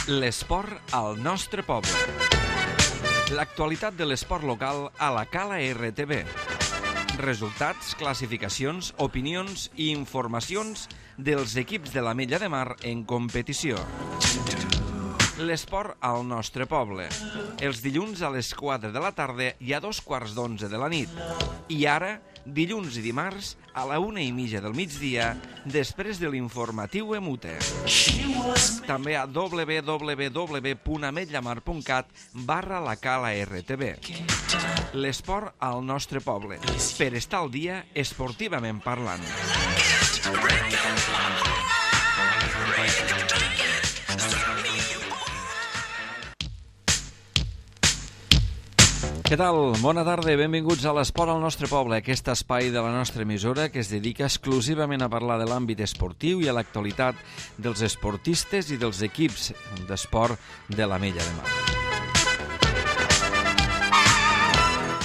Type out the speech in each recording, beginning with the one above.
L'esport al nostre poble. L'actualitat de l'esport local a la Cala RTV. Resultats, classificacions, opinions i informacions dels equips de l'Ametlla de Mar en competició. L'esport al nostre poble. Els dilluns a les 4 de la tarda i a 2:15 de la nit. I ara, dilluns i dimarts, a la 1:30 del migdia, després de l'informatiu Emute. També a www.ametllamar.cat/la Cala RTV. L'esport al nostre poble. Per estar al dia, esportivament parlant. Què tal? Bona tarda i benvinguts a l'Esport al nostre poble, aquest espai de la nostra emissora que es dedica exclusivament a parlar de l'àmbit esportiu i a l'actualitat dels esportistes i dels equips d'esport de l'Ametlla de Mar.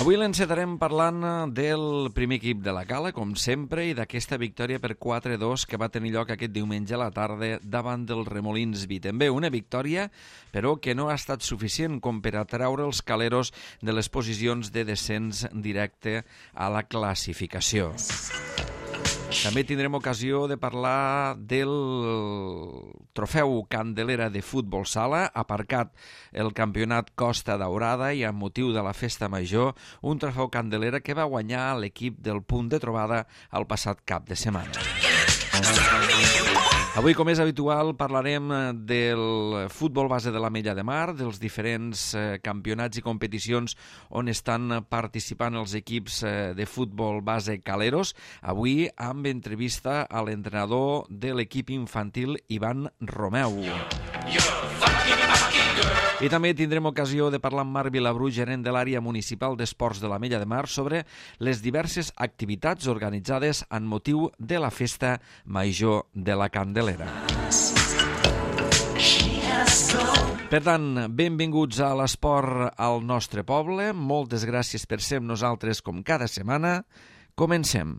Avui l'encetarem parlant del primer equip de la Cala, com sempre, i d'aquesta victòria per 4-2 que va tenir lloc aquest diumenge a la tarda davant dels Remolins Vitember. Una victòria, però, que no ha estat suficient com per atraure els caleros de les posicions de descens directe a la classificació. També tindrem ocasió de parlar del trofeu Candelera de futbol sala, aparcat el campionat Costa Daurada i amb motiu de la festa major, un trofeu Candelera que va guanyar l'equip del Punt de Trobada el passat cap de setmana. Avui, com és habitual, parlarem del futbol base de l'Ametlla de Mar, dels diferents campionats i competicions on estan participant els equips de futbol base caleros. Avui amb entrevista a l'entrenador de l'equip infantil, Ivan Romeu. I també tindrem ocasió de parlar amb Marc Vilabru, gerent de l'àrea municipal d'esports de l'Ametlla de Mar, sobre les diverses activitats organitzades en motiu de la festa major de la Candelera. Per tant, benvinguts a l'esport al nostre poble. Moltes gràcies per ser amb nosaltres com cada setmana. Comencem.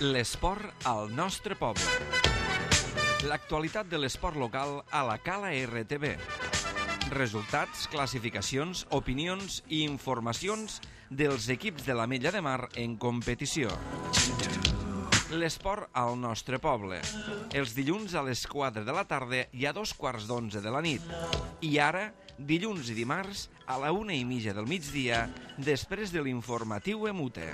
L'esport al nostre poble. L'actualitat de l'esport local a la Cala RTV. Resultats, classificacions, opinions i informacions dels equips de l'Ametlla de Mar en competició. L'esport al nostre poble. Els dilluns a les 4 de la tarda i a 2:15 de la nit. I ara, dilluns i dimarts, a la 1:30 del migdia, després de l'informatiu Emute.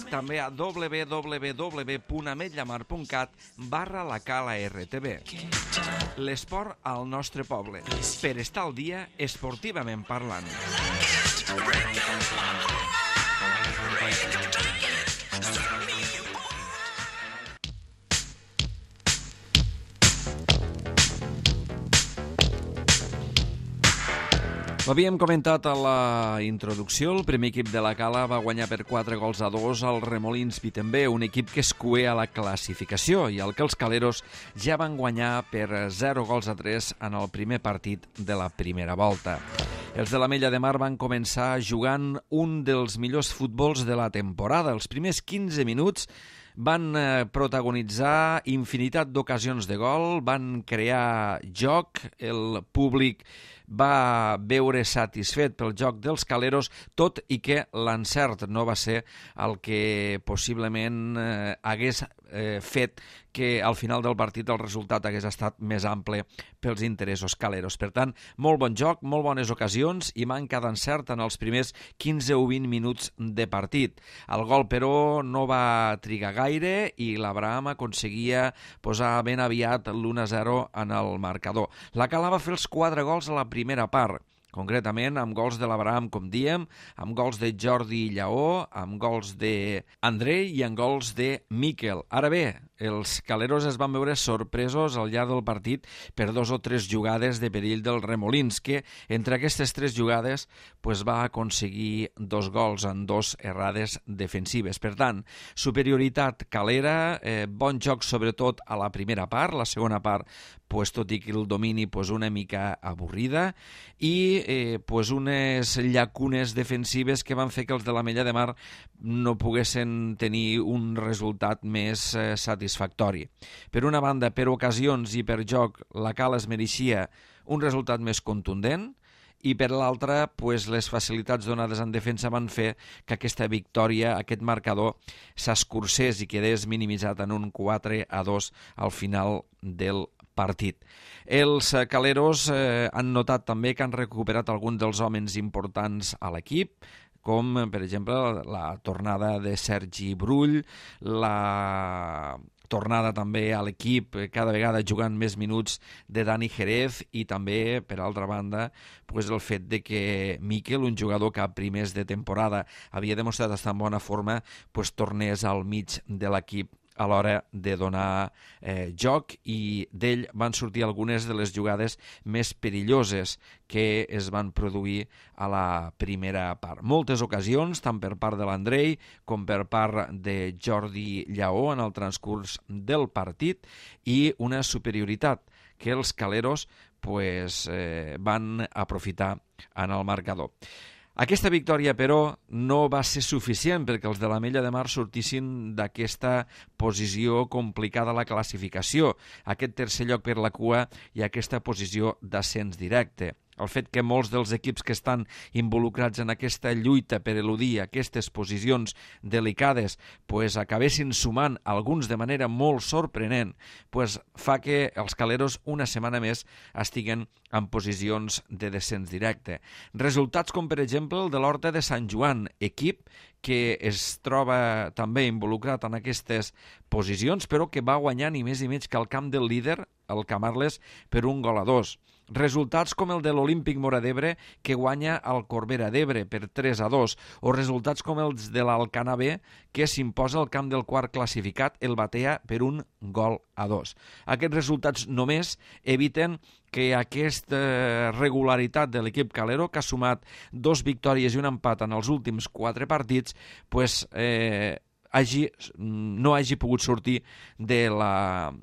També a www.ametllamar.cat/la Cala RTV. L'esport al nostre poble. Per estar al dia, esportivament parlant. Ho havíem comentat a la introducció, el primer equip de la Cala va guanyar per 4-2 al Remolins Vitember, un equip que es cué a la classificació i al que els caleros ja van guanyar per 0-3 en el primer partit de la primera volta. Els de l'Ametlla de Mar van començar jugant un dels millors futbols de la temporada. Els primers 15 minuts van protagonitzar infinitat d'ocasions de gol, van crear joc, el públic va veure satisfet pel joc dels caleros, tot i que l'encert no va ser el que possiblement hagués fet que al final del partit el resultat hagués estat més ample pels interessos caleros. Per tant, molt bon joc, molt bones ocasions i manca d'encert en els primers 15 o 20 minuts de partit. El gol, però, no va trigar gaire i l'Abraham aconseguia posar ben aviat l'1-0 en el marcador. La Cala va fer els 4 gols a la primera part, concretament amb gols de l'Abraham, com diem, amb gols de Jordi Lleó, amb gols d'Andrei i amb gols de Miquel. Ara bé, els caleros es van veure sorpresos al llarg del partit per 2 o 3 jugades de perill dels remolins, que entre aquestes 3 jugades va aconseguir 2 gols en 2 errades defensives. Per tant, superioritat calera, bon joc sobretot a la primera part, la segona part, tot i que el domini una mica avorrida, i unes llacunes defensives que van fer que els de l'Ametlla de Mar no poguessin tenir un resultat més satisfactori. Per una banda, per ocasions i per joc, la Cala es mereixia un resultat més contundent, i per l'altra, les facilitats donades en defensa van fer que aquesta victòria, aquest marcador, s'escurcés i quedés minimitzat en un 4-2 al final del partit. Els caleros han notat també que han recuperat alguns dels homes importants a l'equip, com, per exemple, la tornada de Sergi Brull, la tornada també a l'equip, cada vegada jugant més minuts, de Dani Jerez, i també, per altra banda, el fet de que Miquel, un jugador que a primers de temporada havia demostrat estar en bona forma, tornés al mig de l'equip a l'hora de donar joc, i d'ell van sortir algunes de les jugades més perilloses que es van produir a la primera part. Moltes ocasions, tant per part de l'Andrei com per part de Jordi Lleó en el transcurs del partit, i una superioritat que els caleros van aprofitar en el marcador. Aquesta victòria, però, no va ser suficient perquè els de l'Ametlla de Mar sortissin d'aquesta posició complicada a la classificació, aquest tercer lloc per la cua i aquesta posició d'ascens directe. El fet que molts dels equips que estan involucrats en aquesta lluita per eludir aquestes posicions delicades acabessin sumant alguns de manera molt sorprenent, fa que els caleros una setmana més estiguen en posicions de descens directe. Resultats com, per exemple, el de l'Horta de Sant Joan, equip que es troba també involucrat en aquestes posicions, però que va guanyar ni més ni menys que el camp del líder, el Camarles, per 1-2. Resultats com el de l'Olímpic Móra d'Ebre, que guanya el Corbera d'Ebre per 3-2, o resultats com els de l'Alcanar B, que s'imposa al camp del quart classificat, el Batea, per 1-2. Aquests resultats només eviten que aquesta regularitat de l'equip calero, que ha sumat 2 victòries i un empat en els últims 4 partits, no hagi pogut sortir de la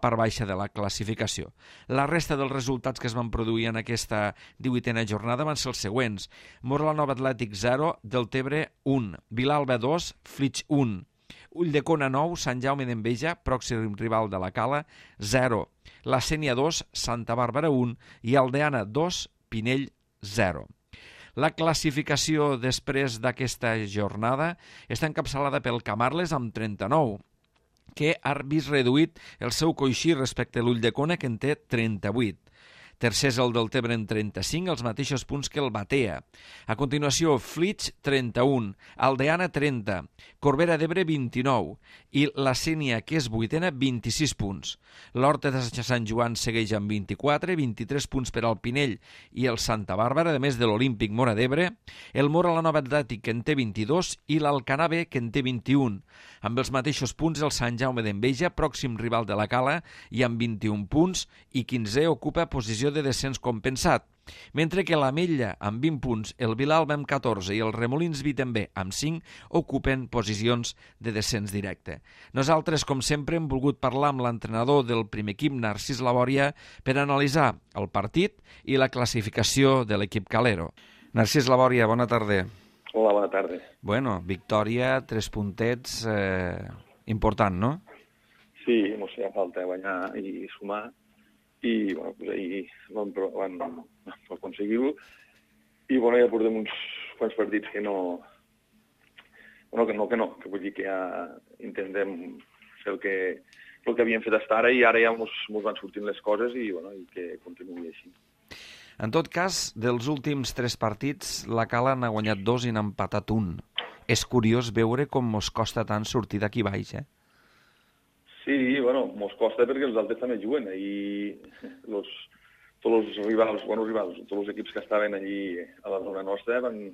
part baixa de la classificació. La resta dels resultats que es van produir en aquesta 18a jornada van ser els següents: Móra-la-Nova Atlètic 0, Deltebre 1, Vilalba 2, Flix 1, Ulldecona 9, Sant Jaume d'Enveja, pròxim rival de la Cala, 0, la Sénia 2, Santa Bàrbara 1 i Aldeana 2, Pinell 0. La classificació després d'aquesta jornada està encapçalada pel Camarles amb 39, que ha vist reduït el seu coixí respecte a l'Ulldecona, que en té 38. Tercer és el Deltebre en 35, els mateixos punts que el Batea. A continuació, Flix, 31, Aldeana, 30, Corbera d'Ebre, 29, i la Sénia, que és vuitena, 26 punts. L'Horta de Sant Joan segueix amb 24, 23 punts per al Pinell i el Santa Bàrbara, a més de l'Olímpic Móra d'Ebre, el Móra-la-Nova Atlètic, que en té 22, i l'Alcanar B, que en té 21. Amb els mateixos punts, el Sant Jaume d'Enveja, pròxim rival de la Cala, i amb 21 punts, i 15è ocupa posició de descens compensat, mentre que l'Ametlla amb 20 punts, el Vilalba amb 14 i el Remolins Vi també amb 5 ocupen posicions de descens directe. Nosaltres, com sempre, hem volgut parlar amb l'entrenador del primer equip, Narcís Labòria, per analitzar el partit i la classificació de l'equip calero. Narcís Labòria, bona tarda. Hola, bona tarda. Bueno, victòria, 3 puntets, important, no? Sí, no sé, falta guanyar i sumar. I ahir vam aconseguir-ho, i ja portem uns quants partits que no, que vull dir que ja intentem fer el que havíem fet fins ara, i ara ja mos van sortint les coses, i que continuï així. En tot cas, dels últims 3 partits, la Cala n'ha guanyat 2 i n'ha empatat 1. És curiós veure com mos costa tant sortir d'aquí baix, Sí, mos costa perquè els altres també juguen, i tots els rivals, tots els equips que estaven allí a la zona nostra també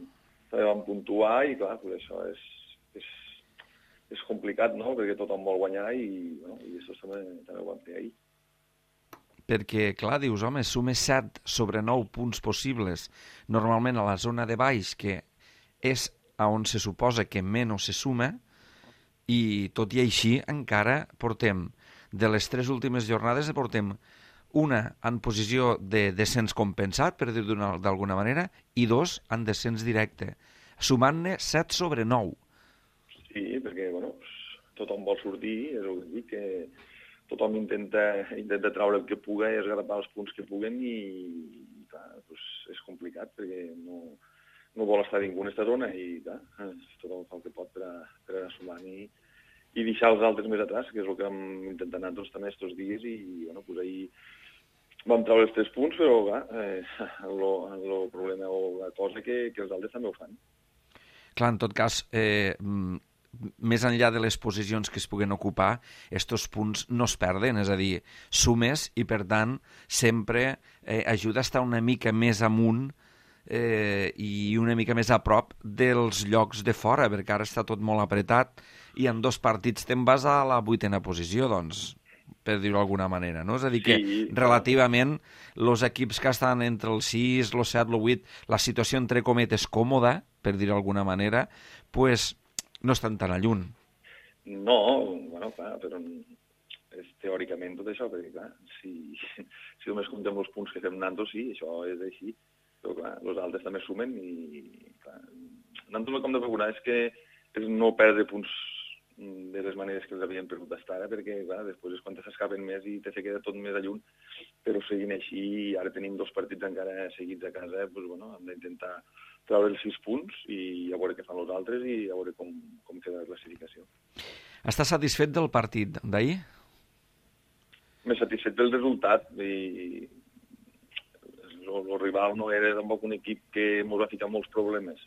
van puntuar, i clar, això és és complicat, no?, perquè tothom vol guanyar i això també ho vam fer ahir. Perquè, clar, dius, home, sumes 7 sobre 9 punts possibles, normalment a la zona de baix, que és on se suposa que menys se suma, i tot i així encara portem, de les 3 últimes jornades, portem una en posició de descens compensat, per dir-ho d'alguna manera, i 2 en descens directe, sumant-ne 7 sobre 9. Sí, perquè, tothom vol sortir, és el que dic, que tothom intenta treure el que puga i esgarrapar els punts que puguen i clar, és complicat perquè no vol estar ningú en aquesta zona i clar, tothom fa el que pot per anar sumant i deixar els altres més atrás, que és el que vam intentar anar també aquests dies i ahir vam treure els 3 punts, però clar, el problema o la cosa que els altres també ho fan. Clar, en tot cas, més enllà de les posicions que es puguen ocupar, estos punts no es perden, és a dir, sumes i, per tant, sempre ajuda a estar una mica més amunt i una mica més a prop dels llocs de fora, perquè ara està tot molt apretat i en 2 partits te'n vas a la 8ª posició, doncs, per dir-ho d'alguna manera, no? És a dir, que relativament els equips que estan entre el 6, el 7, el 8, la situació entre cometes còmoda, per dir-ho d'alguna manera, pues no estan tan lluny. No, clar, però és teòricament tot això, perquè clar, si només comptem els punts que fem nantos, sí, això és així, però clar, els altres també sumen i clar, nantos el que hem de procurar és no perdre punts de les maneres que els havien perdut fins ara, perquè clar, després és quan s'escapen més i te queda tot més a lluny, però seguint així, ara tenim 2 partits encara seguits a casa, hem d'intentar treure els 6 punts i a veure què fan els altres i a veure com queda la classificació. Estàs satisfet del partit d'ahir? M'he satisfet del resultat i el rival no era tampoc un equip que ens va ficar molts problemes.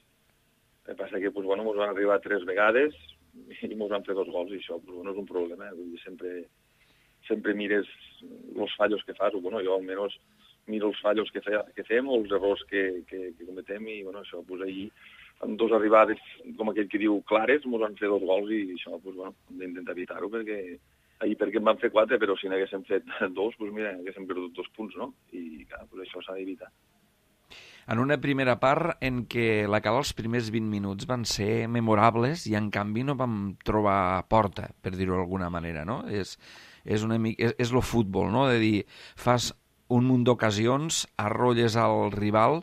El que passa que ens van arribar 3 vegades i ens van fer 2 gols i això és un problema. Sempre mires els fallos que fas, jo almenys miro els fallos que fem o els errors que cometem i això, ahir amb 2 arribades, com aquell que diu, clares, ens van fer 2 gols i això, hem d'intentar evitar-ho perquè em van fer 4, però si n'haguéssim fet 2, haguéssim perdut 2 punts, no? I clar, això s'ha d'evitar. En una primera part en què la Cala els primers 20 minuts van ser memorables i en canvi no vam trobar porta, per dir-ho d'alguna manera, no? És el futbol, no? De dir, fas un munt d'ocasions, arrolles al rival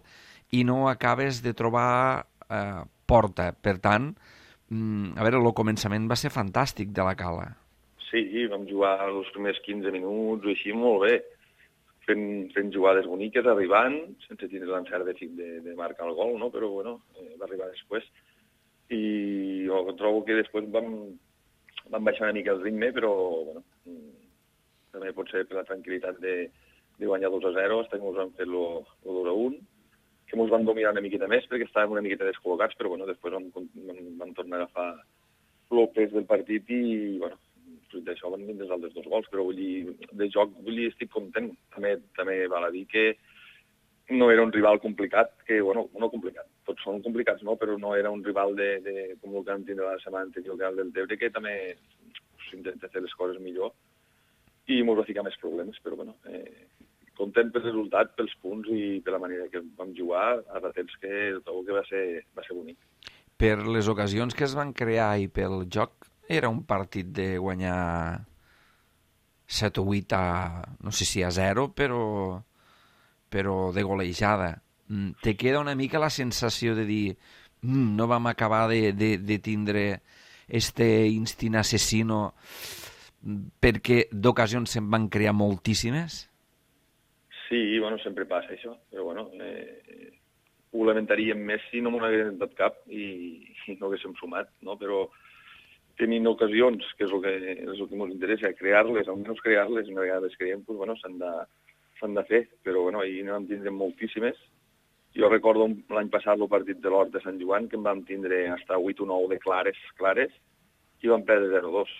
i no acabes de trobar porta. Per tant, el començament va ser fantàstic de la Cala. Sí, vam jugar els primers 15 minuts o així molt bé, fent jugades boniques, arribant, sense tindre l'encert de marcar el gol, no? Però va arribar després. I jo trobo que després vam baixar una mica el ritme, però també pot ser per la tranquil·litat de guanyar 2-0, fins que ens van fer el 2-1, que ens van dominar una miqueta més perquè estàvem una miqueta descol·locats, però després vam tornar a agafar el pes del partit i, fruit d'això van vindre els altres 2 gols, però de joc estic content. També val a dir que no era un rival complicat, no complicat, tots són complicats, no? Però no era un rival com el que vam tindre la setmana anterior, que era el del Tebre, que també s'intenta fer les coses millor i ens va ficar més problemes, però content pel resultat, pels punts i per la manera que vam jugar, a ratets que trobo que va ser bonic. Per les ocasions que es van crear i pel joc, era un partit de guanyar 7 o 8 no sé si a 0, però de golejada. Te queda una mica la sensació de dir no vam acabar de tindre este instint assassino perquè d'ocasions se'n van crear moltíssimes? Sí, sempre passa això, però ho lamentaríem més si no m'ho haguéssim dat cap i no haguéssim sumat, no? Però tenint ocasions, que és el que ens interessa, crear-les, almenys crear-les, una vegada les creiem, s'han de fer, però ahir no vam tindre moltíssimes. Jo recordo l'any passat el partit de l'Hort de Sant Joan, que en vam tindre fins a 8 o 9 de clares, i vam perdre 0-2.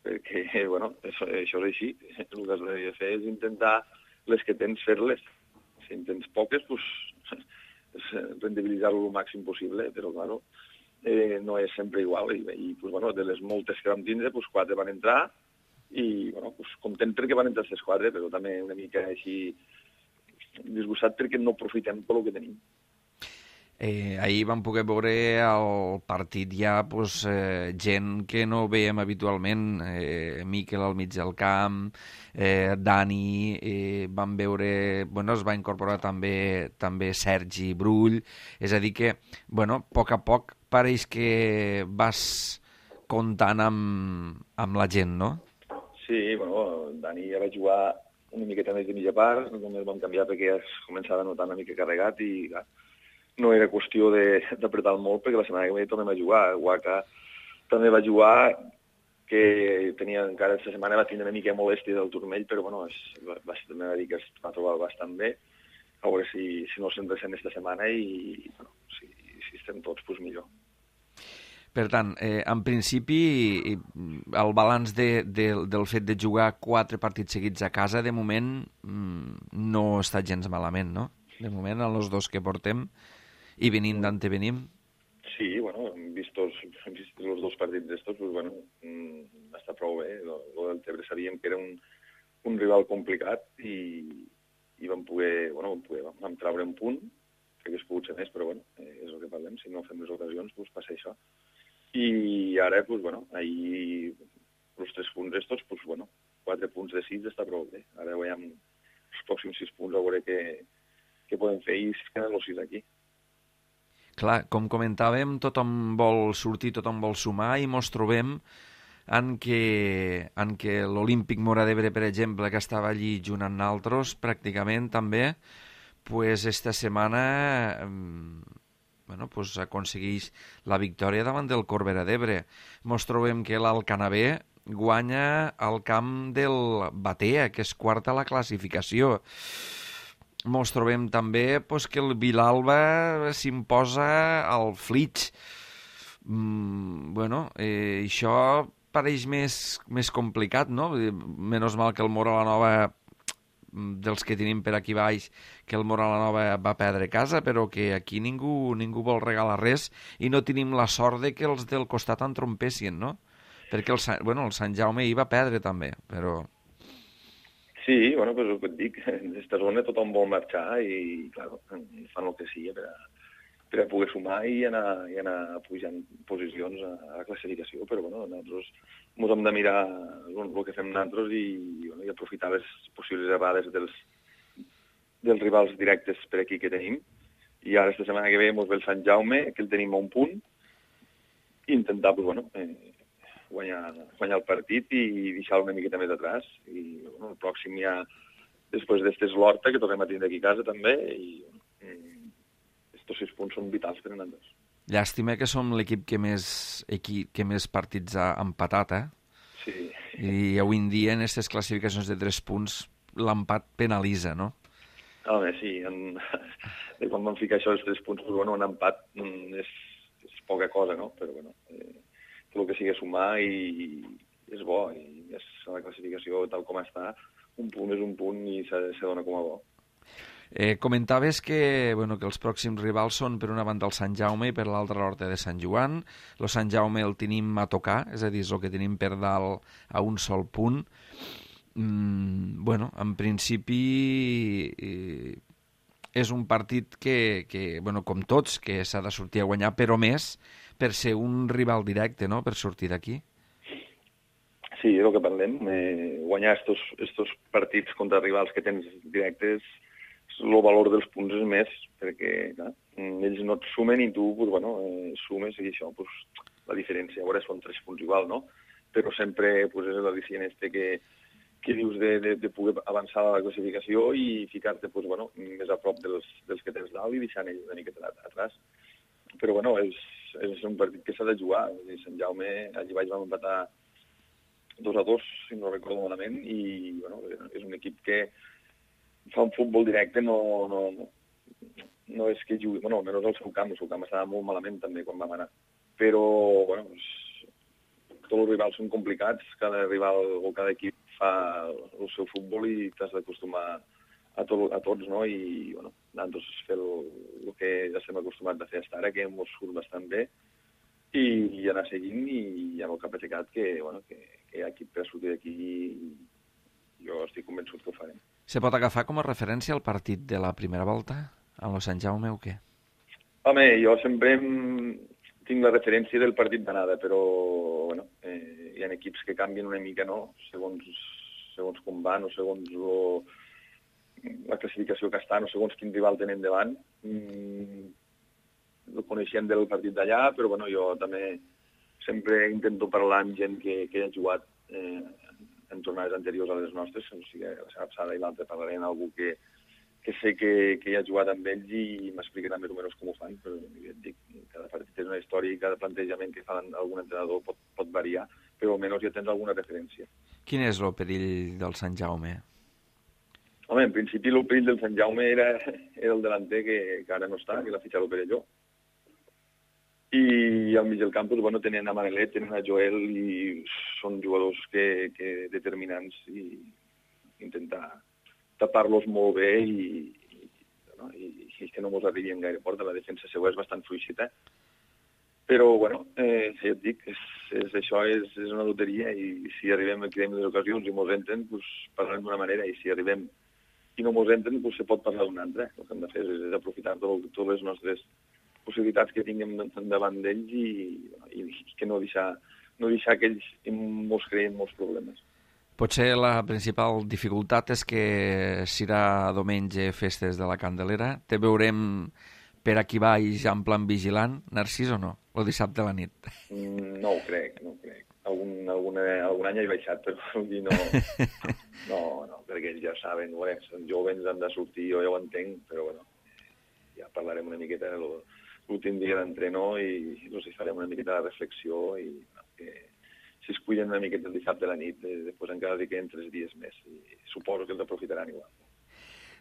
Perquè, això és així. El que has de fer és intentar les que tens, fer-les. Si en tens poques, rendibilitzar-ho el màxim possible, però, no és sempre igual. I pues, bueno, de les moltes que vam tindre, pues, 4 van entrar i bueno, pues, content perquè van entrar aquestes 4, però també una mica així disgustat perquè no aprofitem pel que tenim. Ahir vam poder veure el partit ja gent que no veiem habitualment, Miquel al mig del camp, Dani, vam veure, es va incorporar també Sergi Brull, és a dir que, a poc pareix que vas comptant amb la gent, no? Sí, Dani ja va jugar una miqueta més de mitja part, només vam canviar perquè ja es començava a notar una mica carregat i clar, no era qüestió d'apretar molt perquè la setmana que ve tornem a jugar. Waka també va jugar, que tenia encara aquesta setmana va tindre una mica de molèstia del turmell, però també va dir que es va trobar bastant bé. A veure si no se'n ressent aquesta setmana i si estem tots, doncs millor. Per tant, en principi, el balanç del fet de jugar 4 partits seguits a casa, de moment, no està gens malament, no? De moment, els 2 que portem, i venint d'on venim. Sí, hem vist els 2 partits d'estos, està prou bé. Lo del Tebre sabíem que era un rival complicat i vam vam treure un punt, que hagués pogut ser més, però és el que parlem, si no fem les ocasions, passa això. I ara, ahir els 3 punts estos, 4 punts de 6 està prou bé. Ara veiem els pròxims 6 punts a veure què podem fer i es queden els 6 aquí. Clar, com comentàvem, tothom vol sortir, tothom vol sumar i mos trobem en què l'Olímpic Móra d'Ebre, per exemple, que estava allí junt amb nosaltres, pràcticament també, esta setmana aconsegueix la victòria davant del Corbera d'Ebre. Mos trobem que l'Alcanavé guanya al camp del Batea, que és quart a la classificació. Mos trobem també que el Vilalba s'imposa al Flix. Això pareix més complicat, no? Menys mal que el Móra la Nova, dels que tenim per aquí baix, que el Móra la Nova va perdre casa, però que aquí ningú vol regalar res i no tenim la sort de que els del costat entrompessin, no? Perquè el Sant Jaume hi va perdre també, però... Sí, el que et dic, en aquesta zona tothom vol marxar i, clar, fan el que sigui per a poder sumar i anar pujant posicions a la classificació, però, nosaltres ens hem de mirar el que fem nosaltres i aprofitar les possibles errades dels rivals directes per aquí que tenim. I ara, aquesta setmana que ve, ens ve el Sant Jaume, que el tenim a un punt, i intentar, guanyar el partit i deixar una miqueta més atrás. I el pròxim ja, després d'estes l'Horta, que tornem a tindre aquí a casa també, i estos 6 punts són vitals per a nosaltres. Llàstima que som l'equip que més partits ha empatat, Sí. I avui en dia, en aquestes classificacions de 3 punts, l'empat penalitza, no? Home, sí. Quan vam ficar això dels 3 punts, un empat és poca cosa, no? Però, el que sigui sumar i és bo, i és la classificació tal com està, un punt és un punt i se dona com a bo. Comentaves que els pròxims rivals són per una banda el Sant Jaume i per l'altra l'Horta de Sant Joan. El Sant Jaume el tenim a tocar, és a dir, és el que tenim per dalt a un sol punt. En principi és un partit que com tots, que s'ha de sortir a guanyar, però més per ser un rival directe, no?, per sortir d'aquí. Sí, és el que parlem. Guanyar estos partits contra rivals que tens directes, el valor dels punts és més, perquè clar, ells no et sumen i tu sumes i això, la diferència. A veure, són 3 punts igual, no? Però sempre és l'al·licient que dius de poder avançar a la classificació i ficar-te més a prop dels que tens dalt i deixant ells una miqueta atrás. Però és un partit que s'ha de jugar. Sant Jaume, allí baix vam empatar 2-2, si no recordo malament, i és un equip que fa un futbol directe, no és que jugui, menys el seu camp estava molt malament també quan vam anar. Però, tots els rivals són complicats, cada rival o cada equip fa el seu futbol i t'has d'acostumar a tots, no? I, nosaltres fer el que ja estem acostumats a fer fins ara, que ens surt bastant bé, i anar seguint, i amb el cap aixecat que hi ha equip per sortir d'aquí, i jo estic convençut que ho farem. Se pot agafar com a referència el partit de la primera volta amb el Sant Jaume o què? Home, jo sempre tinc la referència del partit d'anada, però hi ha equips que canvien una mica, no? Segons com van o segons la classificació que estan o segons quin rival tenen davant. No coneixem del partit d'allà, però jo també sempre intento parlar amb gent que ha jugat en jornades anteriors a les nostres, o sigui, la setmana passada i l'altra parlaré amb algú que sé que hi ha jugat amb ells i m'explicaran més o menys com ho fan, però ja et dic, cada partit és una història i cada plantejament que fa algun entrenador pot variar, però almenys ja tens alguna referència. Quin és el perill del Sant Jaume? Home, en principi el perill del Sant Jaume era el delanter que ara no està, que l'ha fitxat l'Opera Jo. I al mig del camp tenen a Manelet, tenen a Joel, i són jugadors que determinants, i intentar tapar-los molt bé i que no mos arribin gaire porta. La defensa seva és bastant fluixita, però ja et dic, això és una loteria, i si arribem a crear les ocasions i mos entren, parlarem d'una manera, i si arribem i no mos entren, se pot parlar d'una altra. El que hem de fer és aprofitar totes les nostres possibilitats que tinguem davant d'ells i que no deixar que ells mos creïn molts problemes. Potser la principal dificultat és que serà diumenge festes de la Candelera. Te veurem per aquí baix en plan vigilant, Narcís, o no? O dissabte a la nit? No ho crec. Algun any he baixat, però no, perquè ells ja saben, són joves, han de sortir, jo ja ho entenc, però ja parlarem una miqueta l'últim dia d'entrenor i els farem una miqueta de reflexió, i si es cuiden una miqueta el dissabte a la nit, després encara li queden 3 dies més, i suposo que els aprofitaran igual.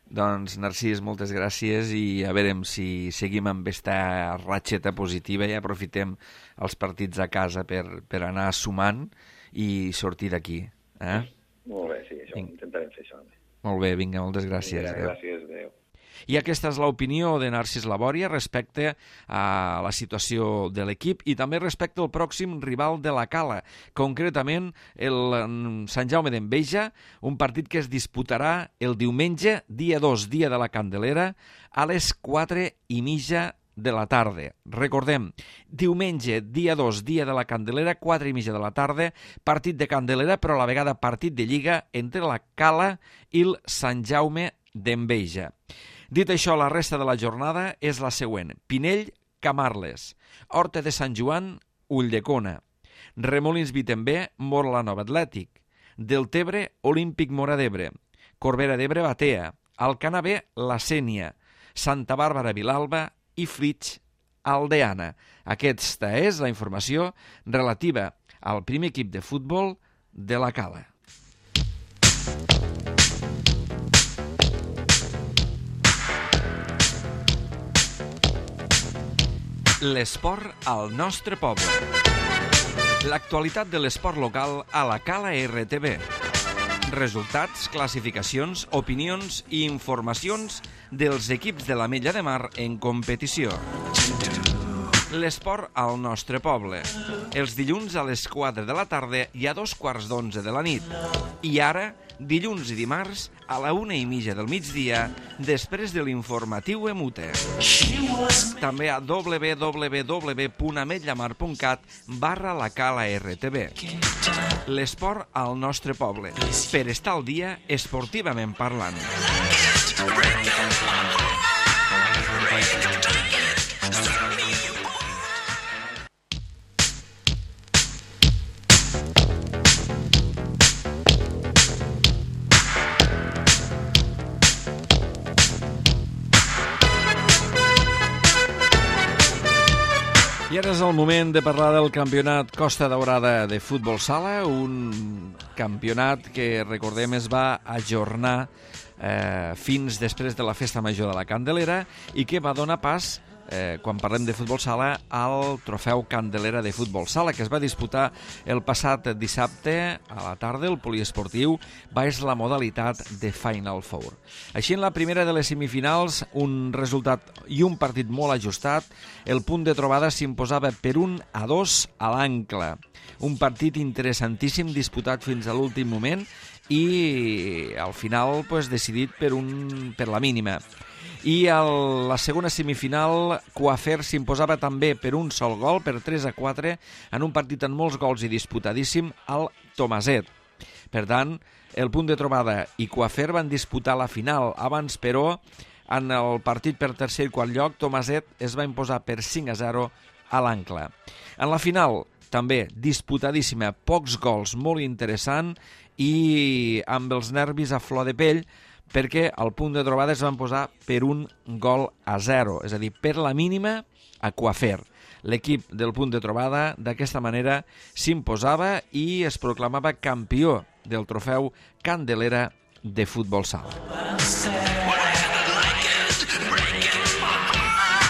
Doncs, Narcís, moltes gràcies, i a veure si seguim amb aquesta ratxeta positiva i aprofitem els partits a casa per anar sumant i sortir d'aquí. Molt bé, sí, això intentarem fer això. Molt bé, vinga, moltes gràcies. Gràcies, adéu. I aquesta és l'opinió de Narcís Labòria respecte a la situació de l'equip i també respecte al pròxim rival de la Cala, concretament el Sant Jaume d'Enveja, un partit que es disputarà el diumenge, dia 2, dia de la Candelera, a les 4:30 de la tarda. Recordem, diumenge, dia 2, dia de la Candelera, 4:30 de la tarda, partit de Candelera, però a la vegada partit de Lliga entre la Cala i el Sant Jaume d'Enveja. Dit això, la resta de la jornada és la següent. Pinell, Camarles. Horta de Sant Joan, Ulldecona. Remolins Vitembé, Móra-la-Nova Atlètic. Deltebre, Olímpic Móra d'Ebre. Corbera d'Ebre, Batea. Alcanar B, La Sénia. Santa Bàrbara, Vilalba i Flix, Aldeana. Aquesta és la informació relativa al primer equip de futbol de la Cala. L'esport al nostre poble. L'actualitat de l'esport local a la Cala RTV. Resultats, classificacions, opinions i informacions dels equips de l'Ametlla de Mar en competició. L'esport al nostre poble. Els dilluns a les 4 de la tarda i a 2:15 de la nit. I ara, dilluns i dimarts a la 1:30 del migdia, després de l'informatiu EMUTE. També a www.ametllamar.cat/la Cala RTV. L'esport al nostre poble, per estar al dia esportivament parlant. I ara és el moment de parlar del campionat Costa Daurada de futbol sala, un campionat que, recordem, es va ajornar fins després de la Festa Major de la Candelera i que va donar pas quan parlem de futbol sala, al trofeu Candelera de futbol sala, que es va disputar el passat dissabte a la tarda. El poliesportiu va és la modalitat de Final Four. Així, en la primera de les semifinals, un resultat i un partit molt ajustat. El punt de trobada s'imposava per 1-2 a l'Ancla. Un partit interessantíssim, disputat fins a l'últim moment i al final decidit per la mínima. I a la segona semifinal, Coafer s'imposava també per un sol gol, per 3-4, en un partit amb molts gols i disputadíssim, al Tomaset. Per tant, el punt de trobada i Coafer van disputar la final. Abans, però, en el partit per tercer i quart lloc, Tomaset es va imposar per 5-0 a l'Ancla. En la final, també disputadíssima, pocs gols, molt interessant i amb els nervis a flor de pell, perquè al punt de trobada es van posar per 1-0, és a dir, per la mínima a Coafer. L'equip del punt de trobada d'aquesta manera s'imposava i es proclamava campió del trofeu Candelera de futbol sala.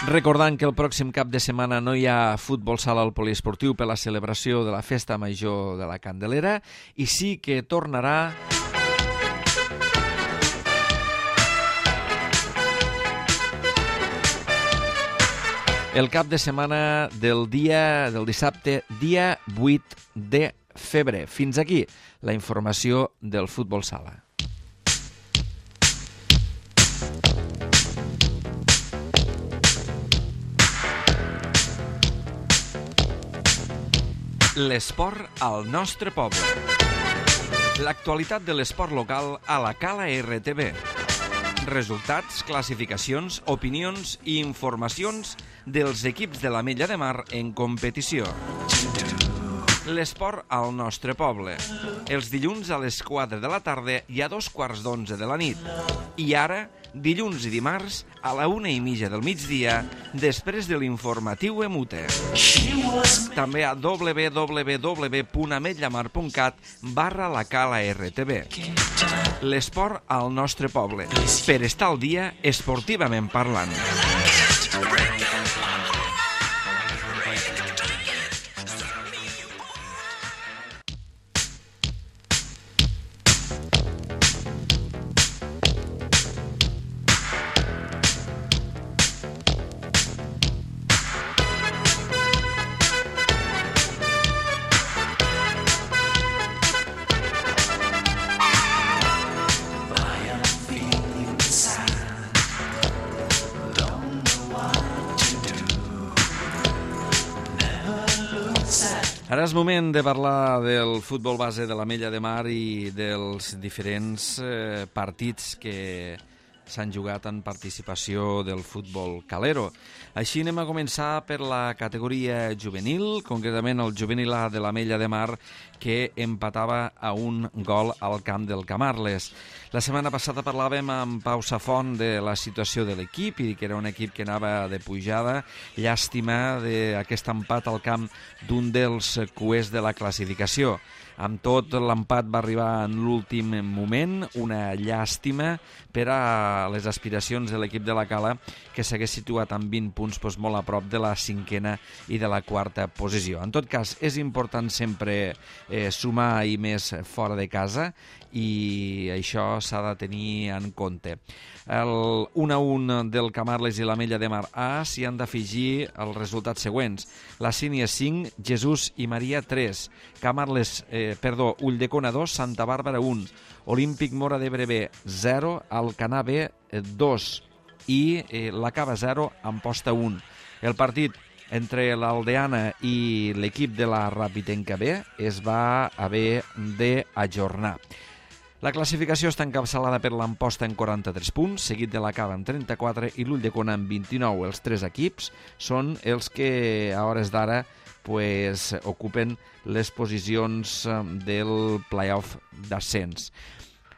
Recordant que el pròxim cap de setmana no hi ha futbol sala al poliesportiu per la celebració de la Festa Major de la Candelera, i sí que tornarà el cap de setmana del dissabte, dia 8 de febrer. Fins aquí la informació del futbol sala. L'esport al nostre poble. L'actualitat de l'esport local a la Cala RTV. Resultats, classificacions, opinions i informacions dels equips de l'Ametlla de Mar en competició. L'esport al nostre poble. Els dilluns a les 4 de la tarda i a 2:15 de la nit. I ara, dilluns i dimarts a la 1:30 del migdia, després de l'informatiu Emute. També a www.ametllamar.cat/la Cala RTV. L'esport al nostre poble. Per estar al dia, esportivament parlant. Ara és moment de parlar del futbol base de l'Ametlla de Mar i dels diferents partits que s'han jugat en participació del futbol calero. Així anem a començar per la categoria juvenil, concretament el juvenil A de l'Ametlla de Mar, que empatava a 1 gol al camp del Camarles. La setmana passada parlàvem amb Pau Safont de la situació de l'equip i que era un equip que anava de pujada. Llàstima d'aquest empat al camp d'un dels cuers de la classificació. Amb tot, l'empat va arribar en l'últim moment, una llàstima per a les aspiracions de l'equip de la Cala, que s'hagués situat amb 20 punts molt a prop de la 5a i de la 4a posició. En tot cas, és important sempre sumar i més fora de casa, i això s'ha de tenir en compte. El 1-1 del Camarles i l'Ametlla de Mar A s'hi han d'afegir els resultats següents. La Sínia 5, Jesús i Maria 3, Ulldecona 2, Santa Bàrbara 1, Olímpic Móra d'Ebre 0, Alcanar B 2 i la Cava 0, Amposta 1. El partit entre l'Aldeana i l'equip de la Rapitenca B es va haver d'ajornar. La classificació està encapçalada per l'Amposta en 43 punts, seguit de la Cava amb 34 i l'Ulldecona amb 29. Els tres equips són els que a hores d'ara ocupen les posicions del play-off d'ascens.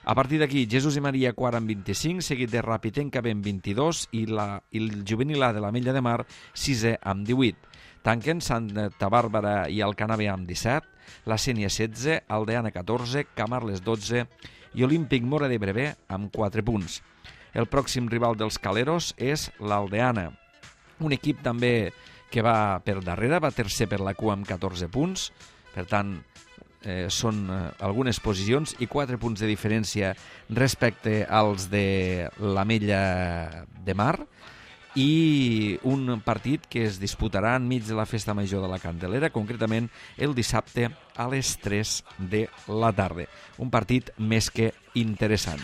A partir d'aquí, Jesús i Maria quart amb 25, seguit de Rapitenca B amb 22 i el juvenil A de l'Ametlla de Mar 6è amb 18. Tanquen Santa Bàrbara i Alcanar B amb 17, la Sénia 16, Aldeana 14, Camarles 12 i Olímpic Móra d'Ebre B amb 4 punts. El pròxim rival dels caleros és l'Aldeana. Un equip també que va per darrere, va tercer per la cua amb 14 punts, per tant, són algunes posicions i 4 punts de diferència respecte als de l'Ametlla de Mar, i un partit que es disputarà enmig de la Festa Major de la Candelera, concretament el dissabte a les 3 de la tarda. Un partit més que interessant.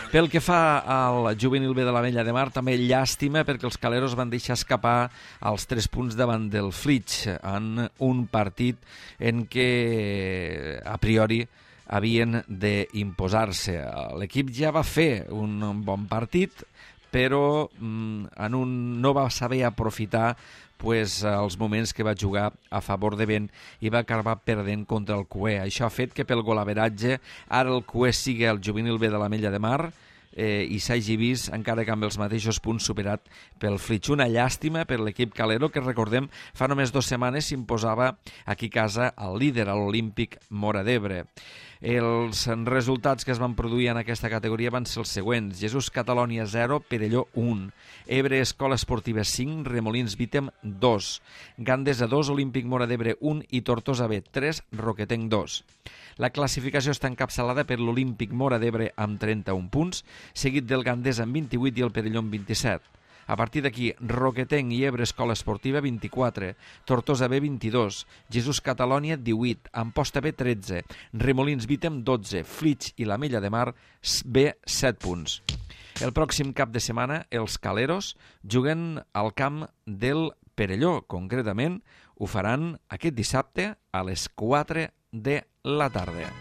Pel que fa al juvenil B de l'Ametlla de Mar, també llàstima perquè els caleros van deixar escapar els 3 punts davant del Flix en un partit en què a priori havien d'imposar-se. L'equip ja va fer un bon partit, però no va saber aprofitar els moments que va jugar a favor de vent i va acabar perdent contra el Cué. Això ha fet que pel golaveratge ara el Cué sigui el juvenil B de l'Ametlla de Mar i s'hagi vist, encara que amb els mateixos punts, superat pel Flix. Una llàstima per l'equip calero, que recordem fa només 2 setmanes s'imposava aquí a casa al líder, a l'Olímpic Móra d'Ebre. Els resultats que es van produir en aquesta categoria van ser els següents: Jesús Catalònia 0, Perelló 1, Ebre Escola Esportiva 5, Remolins Vítem 2, Gandesa 2, Olímpic Móra d'Ebre 1 i Tortosa B 3, Roquetenc 2. La classificació està encapçalada per l'Olímpic Móra d'Ebre amb 31 punts, seguit del Gandesa amb 28 i el Perelló amb 27. A partir d'aquí, Roquetenc i Ebre Escola Esportiva 24, Tortosa B 22, Jesús Catalònia 18, Amposta B 13, Remolins Vítem 12, Flix i l'Ametlla de Mar B 7 punts. El pròxim cap de setmana, els caleros juguen al camp del Perelló. Concretament, ho faran aquest dissabte a les 4 de la tarda.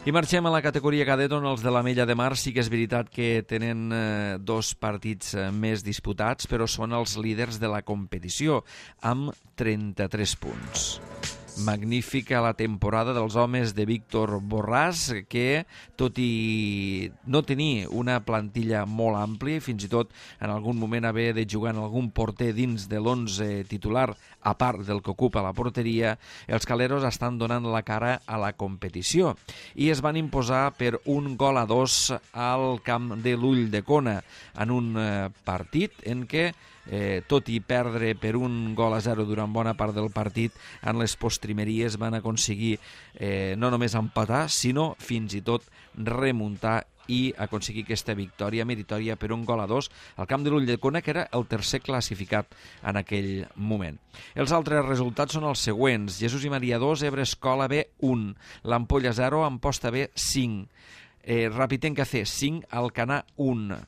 I marxem a la categoria cadet, on els de l'Ametlla de Mar sí que és veritat que tenen 2 partits més disputats, però són els líders de la competició, amb 33 punts. Magnífica la temporada dels homes de Víctor Borràs, que, tot i no tenir una plantilla molt àmplia, fins i tot en algun moment haver de jugar en algun porter dins de l'11 titular, a part del que ocupa la porteria, els caleros estan donant la cara a la competició i es van imposar per 1-2 al camp de l'Ulldecona, en un partit en què tot i perdre per 1-0 durant bona part del partit, en les postrimeries van aconseguir no només empatar, sinó fins i tot remuntar i aconseguir aquesta victòria meritòria per 1-2 al camp de l'Ulldecona, que era el tercer classificat en aquell moment. Els altres resultats són els següents: Jesús i Maria 2, Ebre Escola B 1, l'Ampolla 0, Amposta B 5, Rapitenca C 5, Alcanar 1.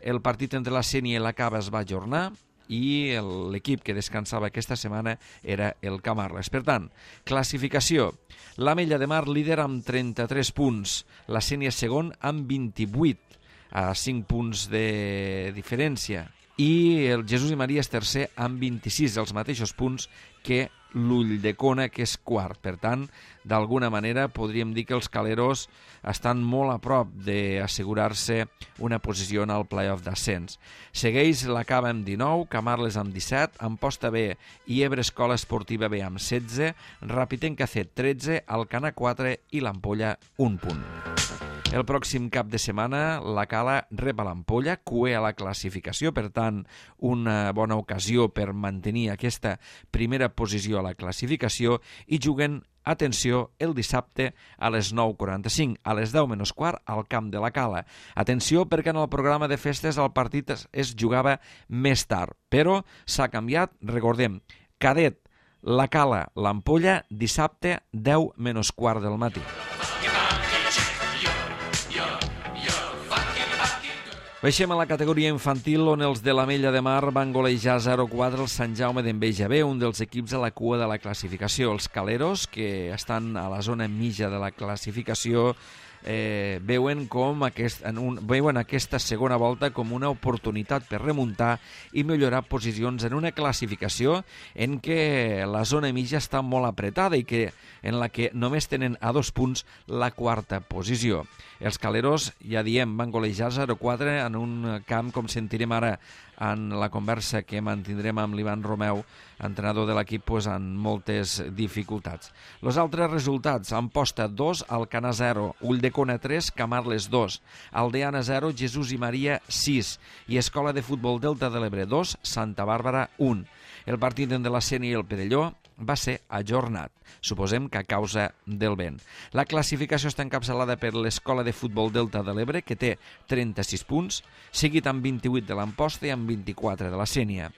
El partit entre la Sénia i la Cava es va ajornar i l'equip que descansava aquesta setmana era el Camarles. Per tant, classificació: l'Ametlla de Mar líder amb 33 punts, la Sénia segon amb 28, a 5 punts de diferència, i el Jesús i Maria és tercer amb 26, els mateixos punts que l'Ulldecona, que és quart. Per tant, d'alguna manera podríem dir que els caleros estan molt a prop d'assegurar-se una posició en el play-off d'ascens. Segueix la Cava amb 19, Camarles amb 17, Amposta B i Ebre Escola Esportiva B amb 16, Rapitenca C 13, Alcanar 4 i l'Ampolla 1 punt. El pròxim cap de setmana la Cala rep a l'Ampolla, cué a la classificació, per tant, una bona ocasió per mantenir aquesta primera posició a la classificació, i juguen, atenció, el dissabte a les 9:45, a les 10 menys quart, al camp de la Cala. Atenció, perquè en el programa de festes el partit es jugava més tard, però s'ha canviat. Recordem, cadet, la Cala, l'Ampolla, dissabte 10 menys quart del matí. Baixem a la categoria infantil, on els de l'Ametlla de Mar van golejar 0-4 el Sant Jaume d'Enveja B, un dels equips a la cua de la classificació. Els caleros, que estan a la zona mitja de la classificació, veuen aquesta segona volta com una oportunitat per remuntar i millorar posicions en una classificació en què la zona mitja està molt apretada i en la que només tenen a 2 punts la quarta posició. Els caleros, ja diem, van golejar 0-4 en un camp, com sentirem ara en la conversa que mantindrem amb l'Ivan Romeu, entrenador de l'equip, amb moltes dificultats. Els altres resultats: Amposta 2, Alcanar 0, Ulldecona 3, Camarles 2, Aldeana 0, Jesús i Maria 6 i Escola de Futbol Delta de l'Ebre 2, Santa Bàrbara 1. El partit entre la Sénia i el Perelló va ser ajornat, suposem que a causa del vent. La classificació està encapçalada per l'Escola de Futbol Delta de l'Ebre, que té 36 punts, seguit amb 28 de l'Amposta i amb 24 de la Sénia.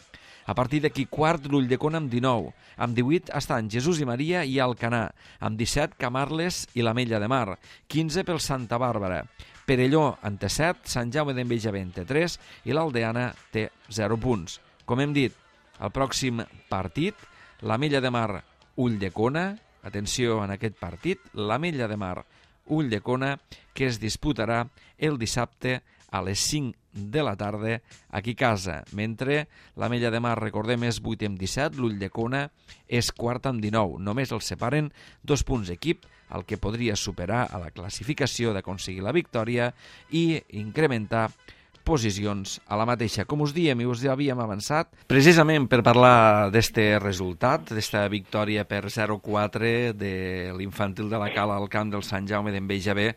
A partir d'aquí, quart, l'Ulldecona amb 19. Amb 18 estan Jesús i Maria i Alcanar. Amb 17, Camarles i l'Ametlla de Mar. 15 pel Santa Bàrbara. Perelló en té 7, Sant Jaume d'Enveja en té 3 i l'Aldeana té 0 punts. Com hem dit, el pròxim partit, l'Ametlla de Mar, Ulldecona, atenció en aquest partit, l'Ametlla de Mar, Ulldecona, que es disputarà el dissabte a les 5 de la tarda aquí a casa, mentre l'Ametlla de Mar, recordem, és 8 amb 17, l'Ulldecona és quart amb 19. Només els separen 2 punts equip, el que podria superar a la classificació d'aconseguir la victòria i incrementar posicions a la mateixa. Com us diem i us havíem avançat, precisament per parlar d'este resultat, d'esta victòria per 0-4 de l'Infantil de la Cala al camp del Sant Jaume d'Enveja B,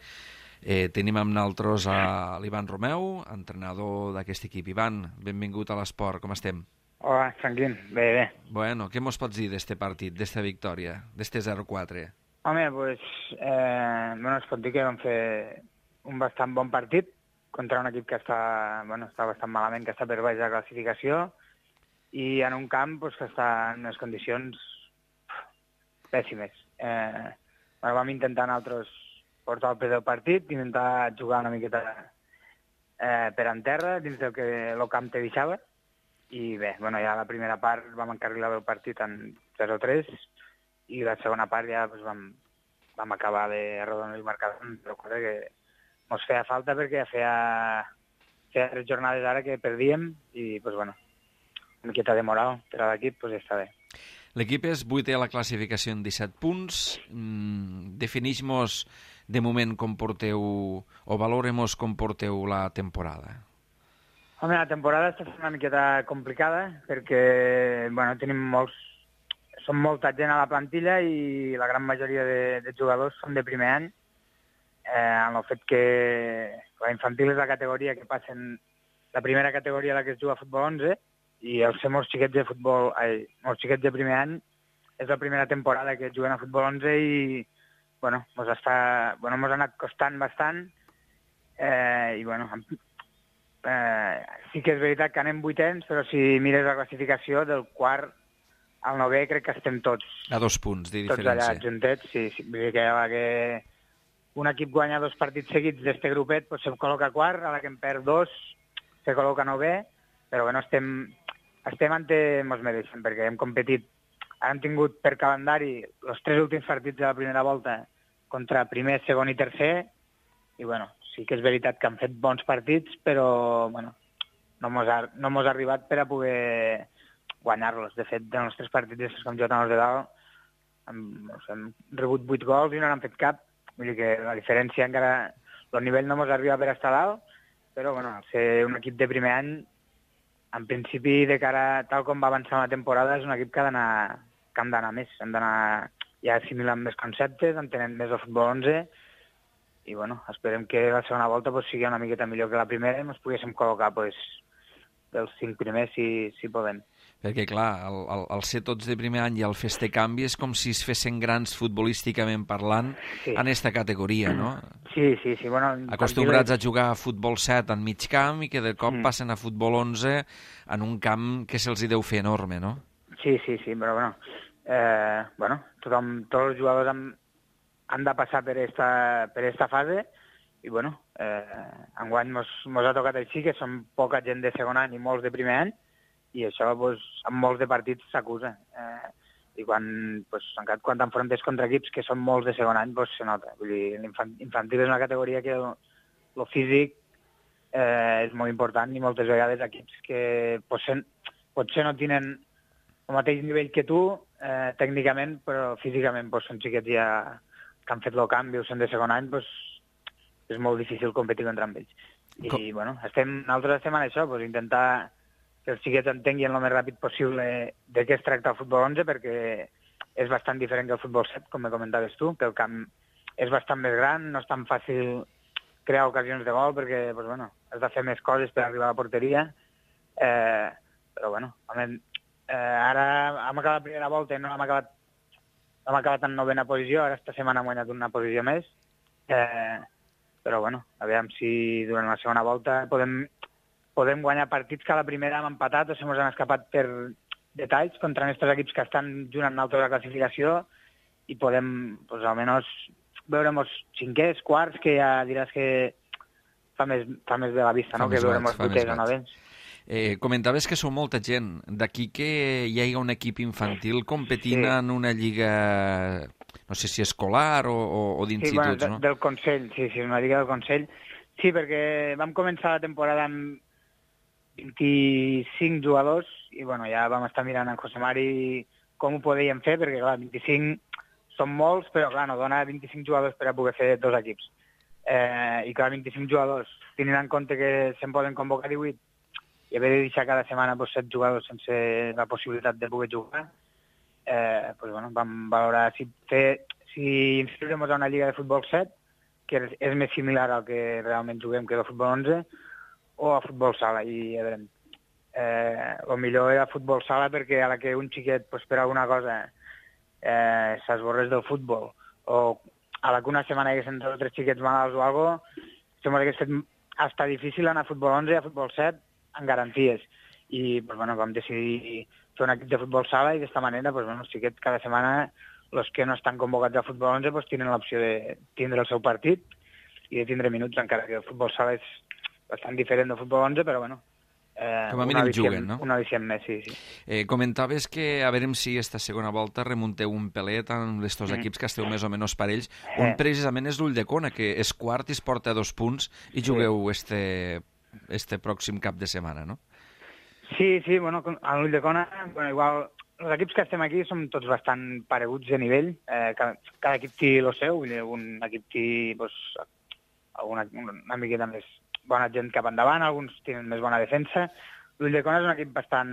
tenim amb nosaltres a l'Ivan Romeu, entrenador d'aquest equip. Ivan, benvingut a l'esport, com estem? Hola, tranquil, bé. Bueno, què mos pots dir d'este partit, d'esta victòria, d'este 0-4? Home, doncs, es pot dir que vam fer un bastant bon partit contra un equip que està bastant malament, que està per baix de la classificació, i en un camp que està en unes condicions pèssimes. Vam intentar nosaltres portar el pes del partit, intentar jugar una miqueta per en terra, dins del que el camp te deixava, i bé, ja la primera part vam encarrilar el partit en 0-3, i la segona part ja vam acabar de arrodonir el marcador en 0-4, que ens feia falta perquè feia 3 jornades ara que perdíem i, una miqueta de moral per a l'equip, ja està bé. L'equip és 8è a la classificació en 17 punts. Definix-mos de moment com porteu, o valorem-mos com porteu la temporada. Home, la temporada està sent una miqueta complicada perquè, som molta gent a la plantilla i la gran majoria de jugadors són de primer any, en el fet que la infantil és la categoria que passen, la primera categoria a la que es juga a futbol 11, i els molts xiquets de primer any és la primera temporada que juguen a futbol 11 i mos ha anat costant bastant, i sí que és veritat que anem 8ens, però si mires la classificació del quart al 9è crec que estem tots a 2 punts de diferència. Tots allà juntets, sí. Vull dir que un equip guanya 2 partits seguits d'este grupet, se'm col·loca quart, a la que en perd 2 se col·loca 9è, però estem ante mos mereixen, perquè hem competit, ara hem tingut per calendari els 3 últims partits de la primera volta contra primer, segon i tercer, i sí que és veritat que han fet bons partits, però no mos ha arribat per a poder guanyar-los. De fet, en els 3 partits que hem jugat en els de dalt, hem rebut 8 gols i no n'han fet cap. Vull dir que la diferència encara, el nivell no mos arriba per estar dalt, però al ser un equip de primer any, en principi, de cara tal com va avançar la temporada, és un equip que hem d'anar més, hem d'anar ja assimilant més conceptes, entenent més el futbol 11, i esperem que la segona volta sigui una miqueta millor que la primera i ens poguéssim col·locar dels 5 primers si podem. Perquè, clar, el ser tots de primer any i el fer este canvi és com si es fessin grans futbolísticament parlant en aquesta categoria, no? Sí. Acostumbrats a jugar a futbol 7 en mig camp i que de cop passen a futbol 11 en un camp que se'ls deu fer enorme, no? Sí, però tots els jugadors han de passar per esta fase i, enguany mos ha tocat així, que som poca gent de segon any i molts de primer any, i això en molts de partits s'acusa. i quan t'enfrontes contra equips que són molts de segon any, se nota. Vull dir, l'infantil és una categoria que el físic és molt important i moltes vegades equips que potser no tenen el mateix nivell que tu, tècnicament, però físicament són xiquets ja que han fet el canvi o són de segon any, és molt difícil competir contra ells. I, nosaltres estem en això, intentar que els xiquets entenguin el més ràpid possible de què es tracta el futbol 11, perquè és bastant diferent que el futbol 7, com me comentaves tu, que el camp és bastant més gran, no és tan fàcil crear ocasions de gol, perquè has de fer més coses per arribar a la porteria, però ara hem acabat la primera volta i no hem acabat en novena posició, ara esta setmana hem guanyat una posició més, però aviam si durant la segona volta podem guanyar partits que a la primera hem empatat o se mos han escapat per detalls contra aquests equips que estan junt amb nosaltres a la classificació i podem, almenys, veure-nos cinquers, quarts, que ja diràs que fa més de la vista, no? Que veure-nos vuiters o novens. Comentaves que sou molta gent. D'aquí que hi hagi un equip infantil competint en una lliga, no sé si escolar o d'instituts, no? Del Consell, sí, una lliga del Consell. Sí, perquè vam començar la temporada amb 25 jugadors i ja vam estar mirant en José Mari com ho podíem fer, perquè clar, 25 són molts, però clar, no dona 25 jugadors per a poder fer 2 equips. I clar, 25 jugadors, tenint en compte que se'n poden convocar 18 i haver de deixar cada setmana 7 jugadors sense la possibilitat de poder jugar, vam valorar si inscriure-nos a una lliga de futbol 7, que és més similar al que realment juguem que el futbol 11, o a futbol sala. I a veure, el millor era futbol sala perquè a la que un xiquet per alguna cosa s'esborrés del futbol o a la que una setmana hi haguessin 2 o 3 xiquets malalts o alguna cosa, sembla que és hasta difícil anar a futbol 11 i a futbol 7 en garanties. I vam decidir fer un equip de futbol sala i d'esta manera els xiquets cada setmana, els que no estan convocats al futbol 11, tenen l'opció de tindre el seu partit i de tindre minuts, encara que el futbol sala és bastant diferent del futbol 11, però com a mínim juguen, no? Una edició més, sí. Comentaves que a veure si esta segona volta remunteu un pelet amb estos equips que esteu més o menys parells. Un precisament és l'Ulldecona, que és quart i es porta 2 punts i jugueu este pròxim cap de setmana, no? Sí, a l'Ulldecona, igual, els equips que estem aquí som tots bastant pareguts de nivell. Cada equip té el seu, un equip té una miqueta més bona gent cap endavant, alguns tenen més bona defensa. L'Ulldecona és un equip bastant...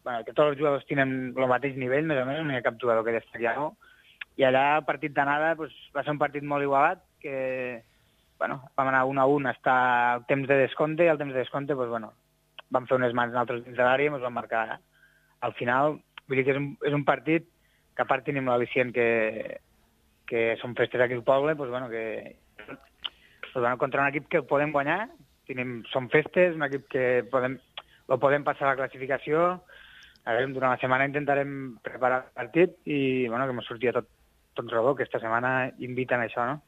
que tots els jugadors tenen el mateix nivell, més o menys, no hi ha cap jugador que destaqui alguna cosa. I allà, el partit d'anada, va ser un partit molt igualat, que vam anar 1-1 hasta el temps de descompte, i al temps de descompte vam fer unes mans nosaltres dins de l'àrea i ens vam marcar al final. Vull dir que és un partit que a part tenim l'al·licient que són festes aquí al poble, contra un equip que el podem guanyar, són festes, un equip que podem passar a la classificació. Durant la setmana intentarem preparar el partit i que ens surti tot rodó, que esta setmana inviten a això, no?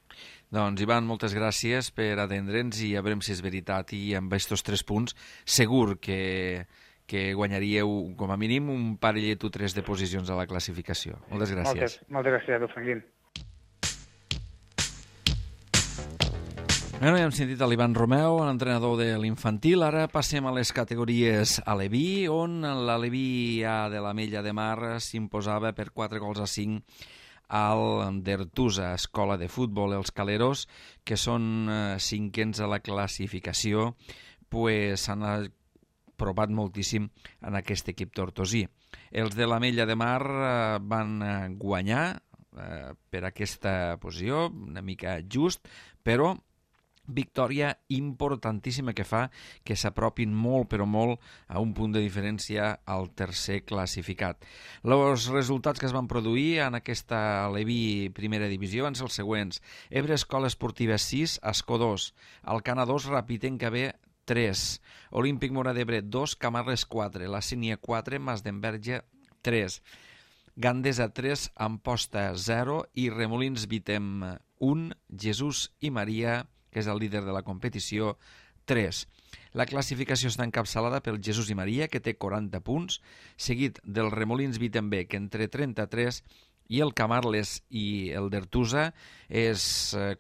Doncs, Ivan, moltes gràcies per atendre'ns i a veure si és veritat, i amb aquests 3 punts segur que guanyaríeu com a mínim un parellet o 3 de posicions a la classificació. Moltes gràcies. Moltes gràcies a tu, Franquín. Ja hem sentit l'Ivan Romeu, l'entrenador de l'infantil. Ara passem a les categories Aleví, on l'Aleví A de l'Ametlla de Mar s'imposava per 4-5 al d'Ertusa, escola de futbol. Els caleros, que són 5ens a la classificació, s'han provat moltíssim en aquest equip tortosí. Els de l'Ametlla de Mar van guanyar per aquesta posició, una mica just, però victòria importantíssima que fa que s'apropin molt, però molt, a un punt de diferència al tercer classificat. Els resultats que es van produir en aquesta Aleví primera divisió van ser els següents. Ebre Escola Esportiva 6, Ascó 2, Alcana 2, Rapitenca B 3, Olímpic Mora d'Ebre 2, Camarles 4, La Sínia 4, Masdenverge 3, Gandesa 3, Amposta 0 i Remolins Vitem 1, Jesús i Maria, que és el líder de la competició, 3. La classificació està encapçalada pel Jesús i Maria, que té 40 punts, seguit del Remolins Vitembe, que en té 33, i el Camarles i el d'Ertusa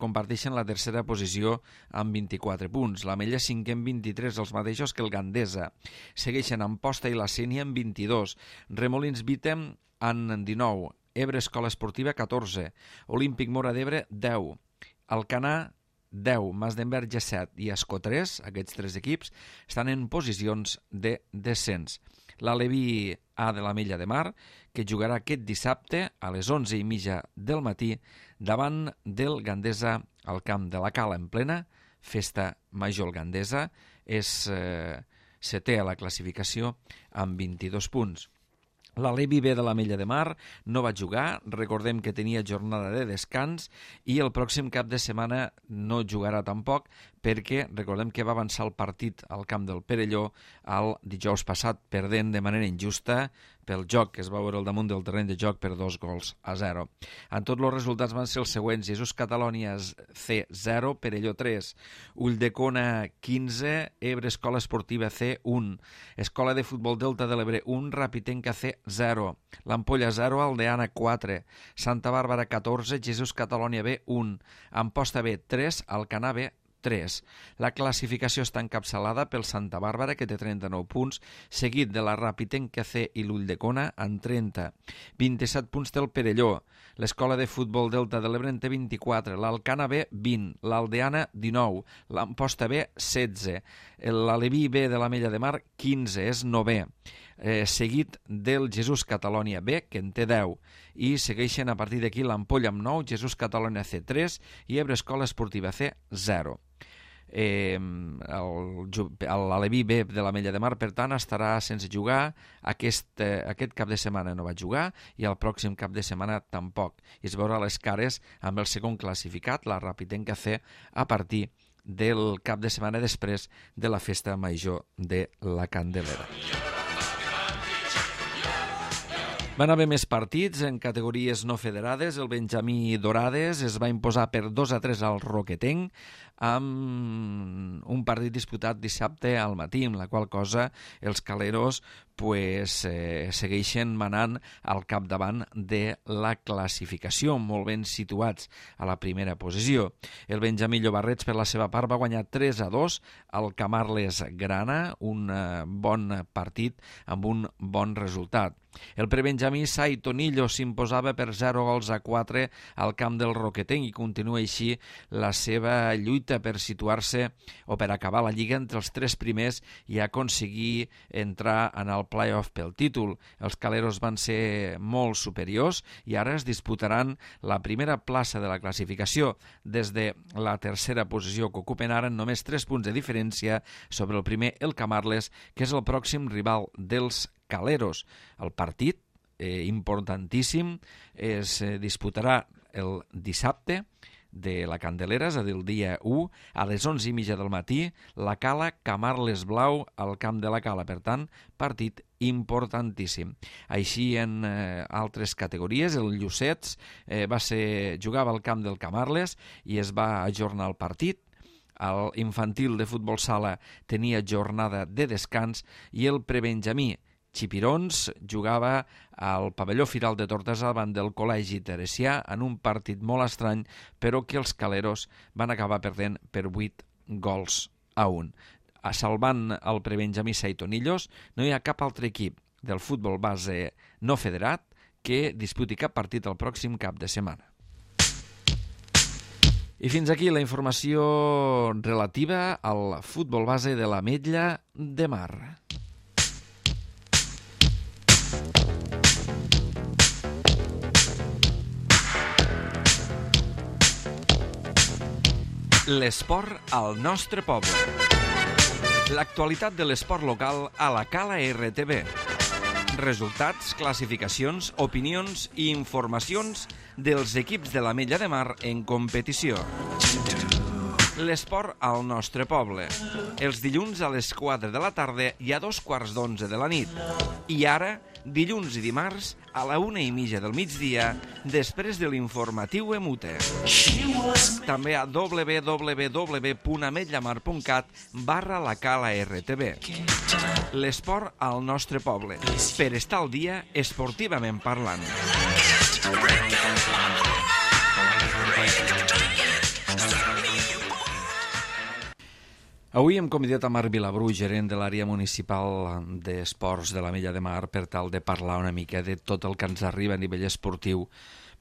comparteixen la tercera posició amb 24 punts. L'Ametlla 5 amb 23, els mateixos que el Gandesa. Segueixen Amposta i la Sénia amb 22. Remolins Vitem amb 19. Ebre Escola Esportiva 14. Olímpic Móra d'Ebre 10. Alcanar 10, Masdenverge 7 i Escó 3, aquests 3 equips, estan en posicions de descens. L'Aleví A de l'Ametlla de Mar, que jugarà aquest dissabte a les 11:30 del matí davant del Gandesa al camp de la Cala en plena festa major. El Gandesa és setè a la classificació amb 22 punts. L'Alevi B de l'Ametlla de Mar no va jugar, recordem que tenia jornada de descans i el pròxim cap de setmana no jugarà tampoc perquè recordem que va avançar el partit al camp del Perelló el dijous passat perdent de manera injusta pel joc que es va veure al damunt del terreny de joc per 2-0. En tots els resultats van ser els següents: Jesús Catalònia C 0, Perelló 3, Ulldecona 15, Ebre Escola Esportiva C 1, Escola de Futbol Delta de l'Ebre 1, Rapitenca C 0, l'Ampolla 0, Aldeana 4, Santa Bàrbara 14, Jesús Catalònia B 1, Amposta B 3, Alcanar B 3. La classificació està encapçalada pel Santa Bàrbara, que té 39 punts, seguit de la Rapitenca C i l'Ulldecona amb 30. 27 punts té el Perelló. L'Escola de Futbol Delta de l'Ebre en té 24. L'Alcanar B 20. L'Aldeana 19. l'Amposta B 16. L'Aleví B de l'Ametlla de Mar 15, és 9è. Seguit del Jesús Catalònia B, que en té 10, i segueixen a partir d'aquí l'Ampolla amb 9, Jesús Catalònia C 3 i Ebre Escola Esportiva C 0. L'Aleví B de l'Ametlla de Mar, per tant, estarà sense jugar. Aquest cap de setmana no va jugar i el pròxim cap de setmana tampoc. I es veurà les cares amb el segon classificat, la Rapitenca C, a partir del cap de setmana després de la festa major de la Candelera. Van haver més partits en categories no federades. El Benjamí Dorades es va imposar per 2-3 al Roquetenc amb un partit disputat dissabte al matí, amb la qual cosa els caleros segueixen manant al capdavant de la classificació, molt ben situats a la primera posició. El Benjamí Llobarrets, per la seva part, va guanyar 3-2 al Camarles Grana, un bon partit amb un bon resultat. El prebenjamí Sai Tonillo s'imposava per 0-4 al camp del Roquetenc i continua així la seva lluita per situar-se o per acabar la lliga entre els 3 primers i aconseguir entrar en el play-off pel títol. Els caleros van ser molt superiors i ara es disputaran la primera plaça de la classificació des de la tercera posició que ocupen ara en només 3 punts de diferència sobre el primer, el Camarles, que és el pròxim rival dels caleros. El partit, importantíssim, es disputarà el dissabte de la Candelera, és a dir, el dia 1, a les 11:30 del matí, la Cala Camarles Blau al camp de la Cala. Per tant, partit importantíssim. Així en altres categories, el Llucets jugava al camp del Camarles i es va ajornar el partit. El infantil de futbol sala tenia jornada de descans i el prebenjamí Xipirons jugava al pavelló Firal de Tortosa davant del Col·legi Teresià en un partit molt estrany, però que els caleros van acabar perdent per 8-1. Salvant el prebenjamí Saitonillos, no hi ha cap altre equip del futbol base no federat que disputi cap partit el pròxim cap de setmana. I fins aquí la informació relativa al futbol base de l'Ametlla de Mar. L'esport al nostre poble. L'actualitat de l'esport local a la Cala RTV. Resultats, classificacions, opinions i informacions dels equips de l'Ametlla de Mar en competició. L'esport al nostre poble. Els dilluns a les 4 de la tarda i a 2:15 de la nit. I ara, dilluns i dimarts, a la 1:30 del migdia, després de l'informatiu Emute. També a www.ametlllamar.cat/la Cala RTV. L'esport al nostre poble. Per estar al dia esportivament parlant. Avui hem convidat a Marc Vilabrú, gerent de l'àrea municipal d'esports de l'Ametlla de Mar, per tal de parlar una mica de tot el que ens arriba a nivell esportiu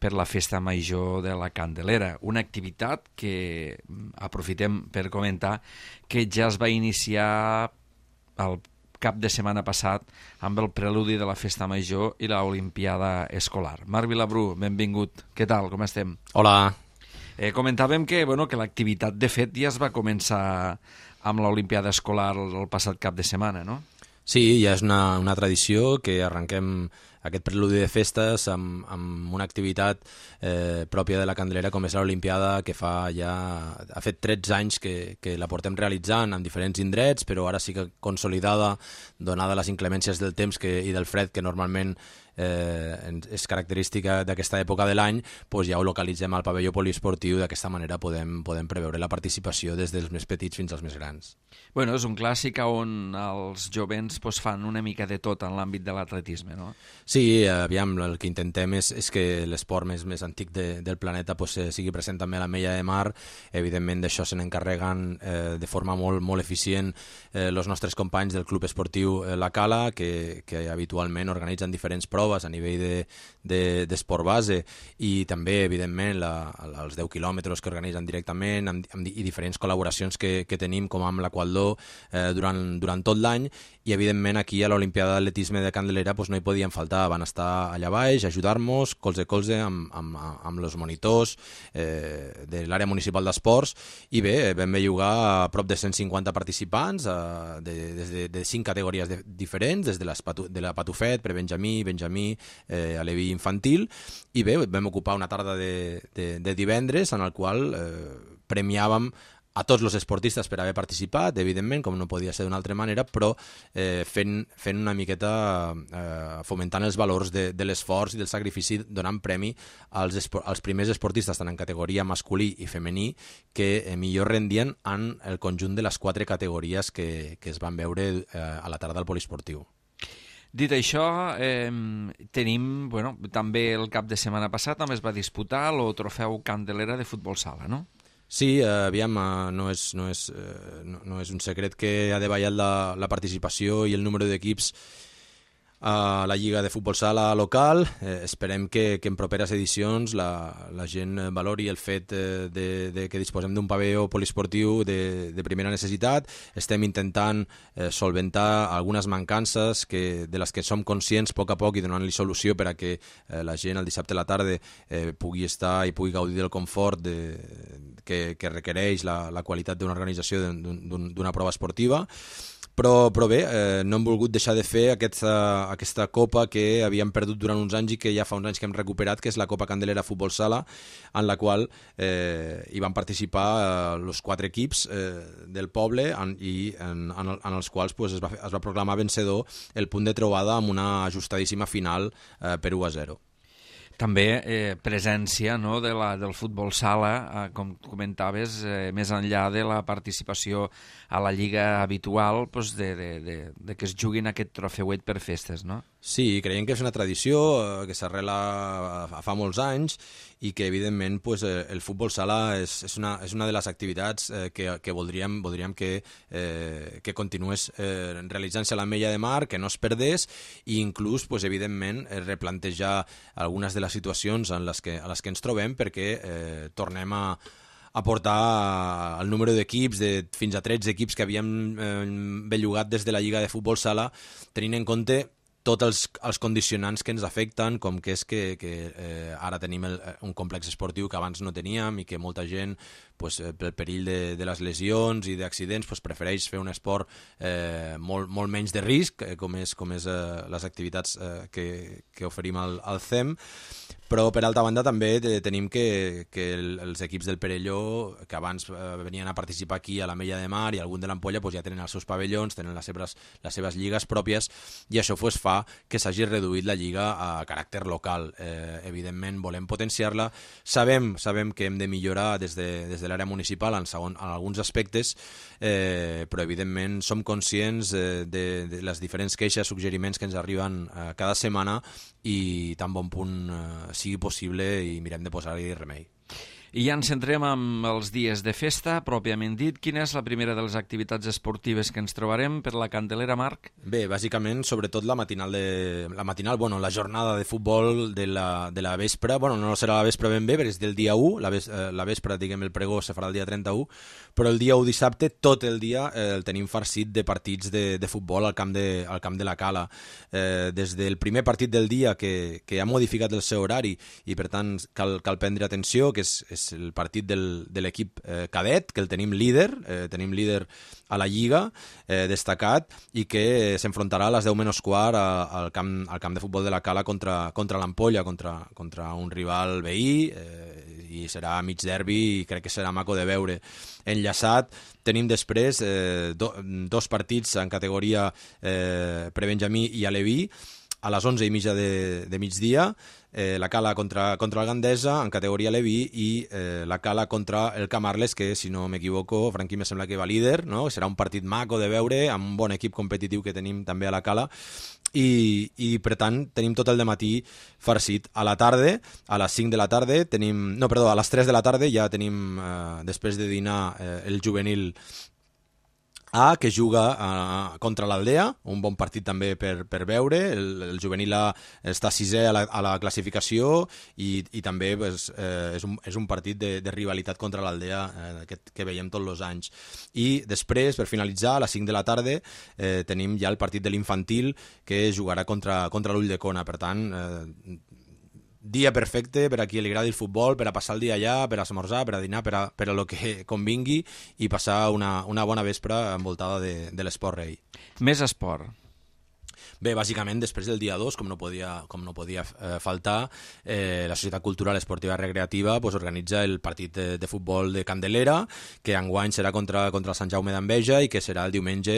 per la Festa Major de la Candelera. Una activitat que aprofitem per comentar que ja es va iniciar el cap de setmana passat amb el preludi de la Festa Major i l'Olimpiada Escolar. Marc Vilabrú, benvingut. Què tal? Com estem? Hola. Comentàvem que l'activitat, de fet, ja es va començar amb l'Olimpiada Escolar el passat cap de setmana, no? Sí, ja és una tradició que arrenquem aquest preludi de festes amb una activitat pròpia de la Candelera, com és l'Olimpiada, que ha fet 13 anys que la portem realitzant en diferents indrets, però ara sí que consolidada, donada les inclemències del temps i del fred que normalment és característica d'aquesta època de l'any, doncs ja ho localitzem al pavelló poliesportiu. D'aquesta manera podem preveure la participació des dels més petits fins als més grans. Bueno, és un clàssic on els jovents fan una mica de tot en l'àmbit de l'atletisme, no? Sí, aviam, el que intentem és que l'esport més antic del planeta sigui present també a l'Ametlla de Mar. Evidentment d'això se n'encarreguen de forma molt eficient els nostres companys del Club Esportiu La Cala, que habitualment organitzen diferents proves a nivell d'esport base, i també, evidentment, els 10 quilòmetres que organitzen directament i diferents col·laboracions que tenim, com amb l'Aqualdor, durant tot l'any. I, evidentment, aquí a l'Olimpiada d'Atletisme de Candelera no hi podien faltar. Van estar allà baix, ajudar-nos, colze a colze, amb els monitors de l'àrea municipal d'esports. I bé, vam bellugar a prop de 150 participants de 5 categories diferents, des de la patufet, prebenjamí, benjamí, a l'EVI infantil. I bé, vam ocupar una tarda de divendres en el qual premiàvem a tots els esportistes per haver participat, evidentment, com no podia ser d'una altra manera, però fent una miqueta fomentant els valors de l'esforç i del sacrifici, donant premi als primers esportistes, tant en categoria masculí i femení, que millor rendien en el conjunt de les 4 categories que es van veure a la tarda al poliesportiu. Dit això, tenim, també el cap de setmana passat també es va disputar el trofeu Candelera de futbol sala, no? Sí, aviam, no és un secret que ha davallat la participació i el número d'equips a la Lliga de Futbol Sala local. Esperem que en properes edicions la gent valori el fet de que disposem d'un pavelló poliesportiu de primera necessitat. Estem intentant solventar algunes mancances de les que som conscients a poc i donant-li solució per a que la gent el dissabte a la tarda pugui estar i pugui gaudir del confort que requereix la qualitat d'una organització d'una prova esportiva. Però bé, no hem volgut deixar de fer aquesta copa que havíem perdut durant uns anys i que ja fa uns anys que hem recuperat, que és la Copa Candelera Futbol Sala, en la qual hi van participar els 4 equips del poble i en els quals es va proclamar vencedor el punt de trobada amb una ajustadíssima final per 1-0. També presència del futbol sala, com comentaves, més enllà de la participació a la lliga habitual, de que es juguin aquest trofeuet per festes, no? Sí, creiem que és una tradició que s'arrela fa molts anys i que, evidentment, el futbol sala és una de les activitats que voldríem que continués realitzant-se a l'Ametlla de Mar, que no es perdés, i inclús, evidentment, replantejar algunes de les situacions a les que ens trobem, perquè tornem a portar el número d'equips, fins a 13 equips que havíem bellugat des de la Lliga de Futbol Sala, tenint en compte tots els condicionants que ens afecten, com que és que ara tenim un complex esportiu que abans no teníem i que molta gent pel perill de les lesions i d'accidents, prefereix fer un esport molt menys de risc, com és les activitats que oferim al CEM. Però, per altra banda, també tenim que els equips del Perelló, que abans venien a participar aquí a l'Ametlla de Mar i algun de l'Ampolla, ja tenen els seus pavellons, tenen les seves lligues pròpies, i això fa que s'hagi reduït la lliga a caràcter local. Evidentment, volem potenciar-la. Sabem que hem de millorar des de l'àrea municipal en alguns aspectes, però, evidentment, som conscients de les diferents queixes, suggeriments que ens arriben cada setmana, i tan bon punt sigui possible i mirem de posar-hi remei. I ja ens centrem amb els dies de festa, pròpiament dit. Quina és la primera de les activitats esportives que ens trobarem per la Candelera, Marc? Bé, bàsicament, sobretot la la jornada de futbol de la vespre. No serà la vespre ben bé, perquè és del dia 1, la vespre, diguem, el pregó se farà el dia 31, però el dia 1 dissabte, tot el dia el tenim farcit de partits de futbol al camp de la Cala. Des del primer partit del dia, que ha modificat el seu horari, i per tant cal prendre atenció, que és el partit de l'equip cadet, que el tenim líder a la Lliga, destacat, i que s'enfrontarà a les 10:15 al camp de futbol de la Cala contra l'Ampolla, contra un rival veí, i serà mig derbi i crec que serà maco de veure. Enllaçat, tenim després dos partits en categoria prebenjamí i aleví, a les 11:30 de migdia, la Cala contra el Gandesa en categoria Leví, i la Cala contra el Camarles, que, si no m'equivoco, Franqui me sembla que va líder, no? Serà un partit maco de veure, amb un bon equip competitiu que tenim també a la Cala, i per tant tenim tot el dematí farcit. A la tarda, a les 5 de la tarda a les 3 de la tarda ja tenim, després de dinar, el juvenil A, que juga contra l'Aldea, un bon partit també per veure. El juvenil A està sisè a la classificació, i també és un partit de rivalitat contra l'Aldea que veiem tots els anys. I després, per finalitzar, a les 5 de la tarda tenim ja el partit de l'infantil, que jugarà contra l'Ulldecona. Per tant, dia perfecte per a qui li agradi el futbol, per a passar el dia allà, per a esmorzar, per a dinar, per a lo que convingui, i passar una bona vespre envoltada de l'esport rei. Més esport. Bé, bàsicament, després del dia 2, com no podia faltar, la Societat Cultural Esportiva Recreativa organitza el partit de futbol de Candelera, que enguany serà contra el Sant Jaume d'Enveja, i que serà el diumenge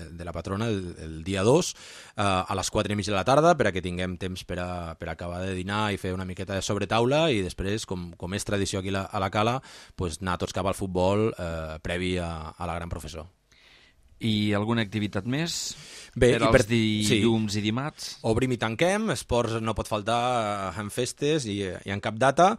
de la patrona, el dia 2, a les 4:30 de la tarda, per a que tinguem temps per acabar de dinar i fer una miqueta de sobretaula, i després, com és tradició aquí a la Cala, anar tots cap al futbol previ a la gran professor. I alguna activitat més? Bé, per als dilluns i dimarts? Obrim i tanquem, esports no pot faltar en festes i en cap data.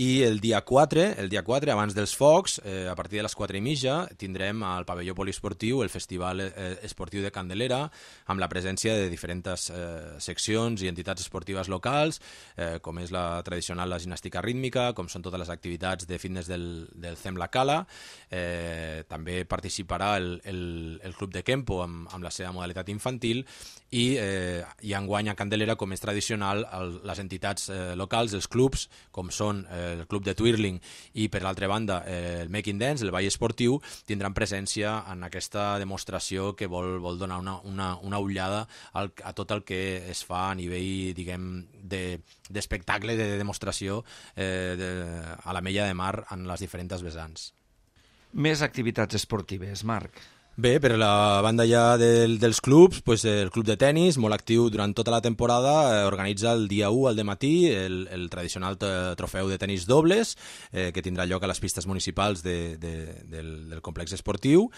I el dia 4, abans dels focs, a partir de les 4:30, tindrem al pavelló poliesportiu el Festival Esportiu de Candelera, amb la presència de diferents seccions i entitats esportives locals, com és la tradicional la gimnàstica rítmica, com són totes les activitats de fitness del CEM La Cala. També participarà el Club de Kempo amb la seva modalitat infantil, i enguany a Candelera, com és tradicional, les entitats locals, els clubs, com són el club de twirling i, per l'altra banda, el Making Dance, el ball esportiu, tindran presència en aquesta demostració que vol donar una ullada a tot el que es fa a nivell, diguem, d'espectacle, de demostració a l'Ametlla de Mar en les diferents vessants. Més activitats esportives, Marc. Bé, per la banda ja dels clubs, el club de tennis, molt actiu durant tota la temporada, organitza el dia 1 al dematí el tradicional trofeu de tennis dobles, que tindrà lloc a les pistes municipals del complex esportiu.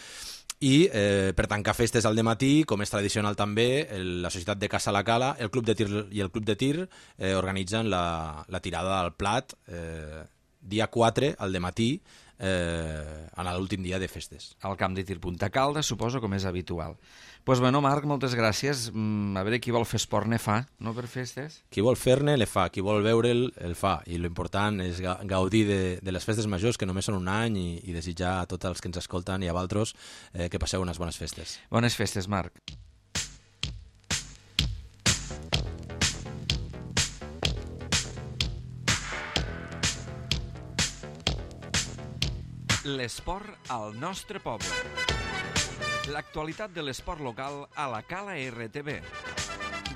I per tancar festes al dematí, com és tradicional també, la Societat de Caça La Cala, el Club de Tir i el Club de Tir organitzen la tirada al plat dia 4 al dematí, en l'últim dia de festes. Al camp de tir Punta Calda, suposo, com és habitual. Doncs bueno, Marc, moltes gràcies. A veure, qui vol fer esport ne fa, no, per festes? Qui vol fer-ne, le fa. Qui vol veure'l, el fa. I l'important és gaudir de les festes majors, que només són un any, i desitjar a tots els que ens escolten i a vosaltres que passeu unes bones festes. Bones festes, Marc. L'esport al nostre poble. L'actualitat de l'esport local a la Cala RTV.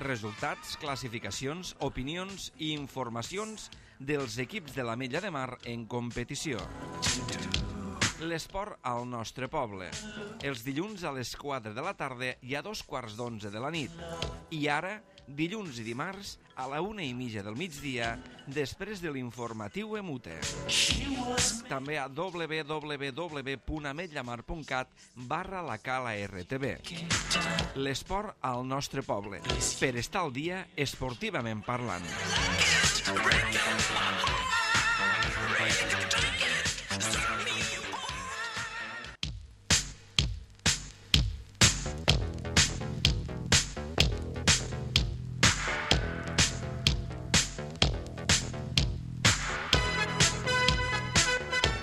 Resultats, classificacions, opinions i informacions dels equips de l'Ametlla de Mar en competició. L'esport al nostre poble. Els dilluns a les 4 de la tarda i a 2:15 de la nit. I ara, dilluns i dimarts, a la 1:30 del migdia, després de l'informatiu Emute. També a www.ametllamar.cat/la Cala RTV. L'esport al nostre poble. Per estar al dia, esportivament parlant.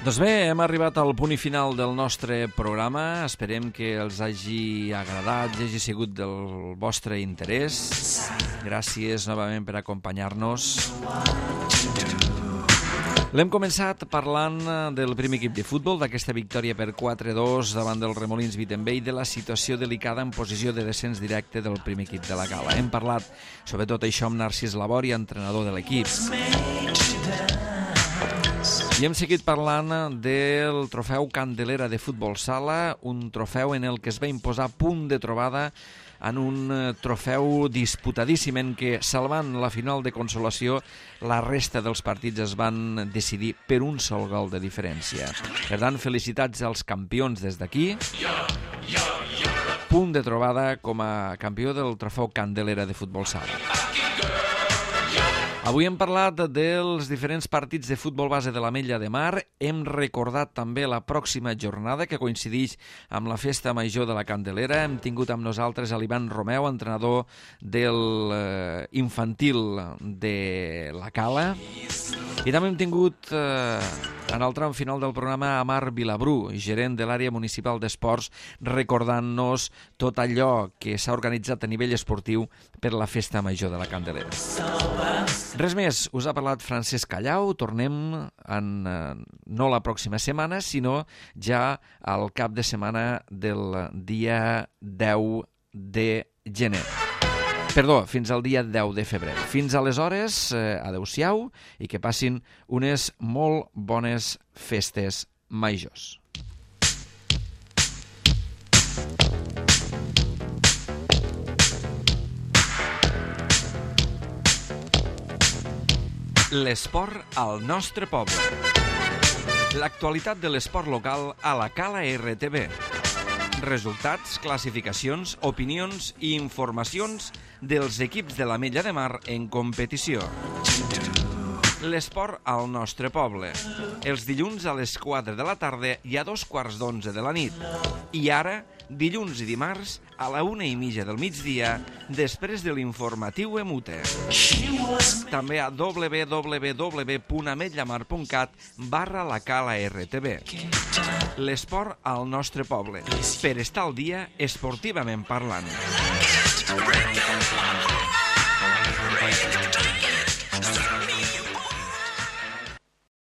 Doncs bé, hem arribat al punt i final del nostre programa. Esperem que els hagi agradat, hagi sigut del vostre interès. Gràcies novament per acompanyar-nos. L'hem començat parlant del primer equip de futbol, d'aquesta victòria per 4-2 davant del Remolins Wittenberg i de la situació delicada en posició de descens directe del primer equip de la Cala. Hem parlat sobre tot això amb Narcís Labori, entrenador de l'equip. I hem seguit parlant del trofeu Candelera de futbol sala, un trofeu en el que es va imposar punt de trobada en un trofeu disputadíssim en què, salvant la final de consolació, la resta dels partits es van decidir per un sol gol de diferència. Per tant, felicitats als campions des d'aquí. Punt de trobada com a campió del trofeu Candelera de futbol sala. Avui hem parlat dels diferents partits de futbol base de l'Ametlla de Mar. Hem recordat també la pròxima jornada que coincideix amb la festa major de la Candelera. Hem tingut amb nosaltres a l'Ivan Romeu, entrenador del infantil de la Cala. I també hem tingut en el tram final del programa a Marc Vilabrú, gerent de l'àrea municipal d'esports, recordant-nos tot allò que s'ha organitzat a nivell esportiu per la festa major de la Candelera. Res més, us ha parlat Francesc Callau. Tornem no la pròxima setmana, sinó ja al cap de setmana del dia 10 de gener. Perdó, fins al dia 10 de febrer. Fins aleshores, adeu-siau i que passin unes molt bones festes majors. L'esport al nostre poble. L'actualitat de l'esport local a la Cala RTV. Resultats, classificacions, opinions i informacions dels equips de l'Ametlla de Mar en competició. L'esport al nostre poble. Els dilluns a les 4 de la tarda i a 2:15 de la nit. I ara, dilluns i dimarts, a la 1:30 del migdia, després de l'informatiu Emute. També a www.ametllamar.cat/la Cala RTV. L'esport al nostre poble. Per estar al dia, esportivament parlant.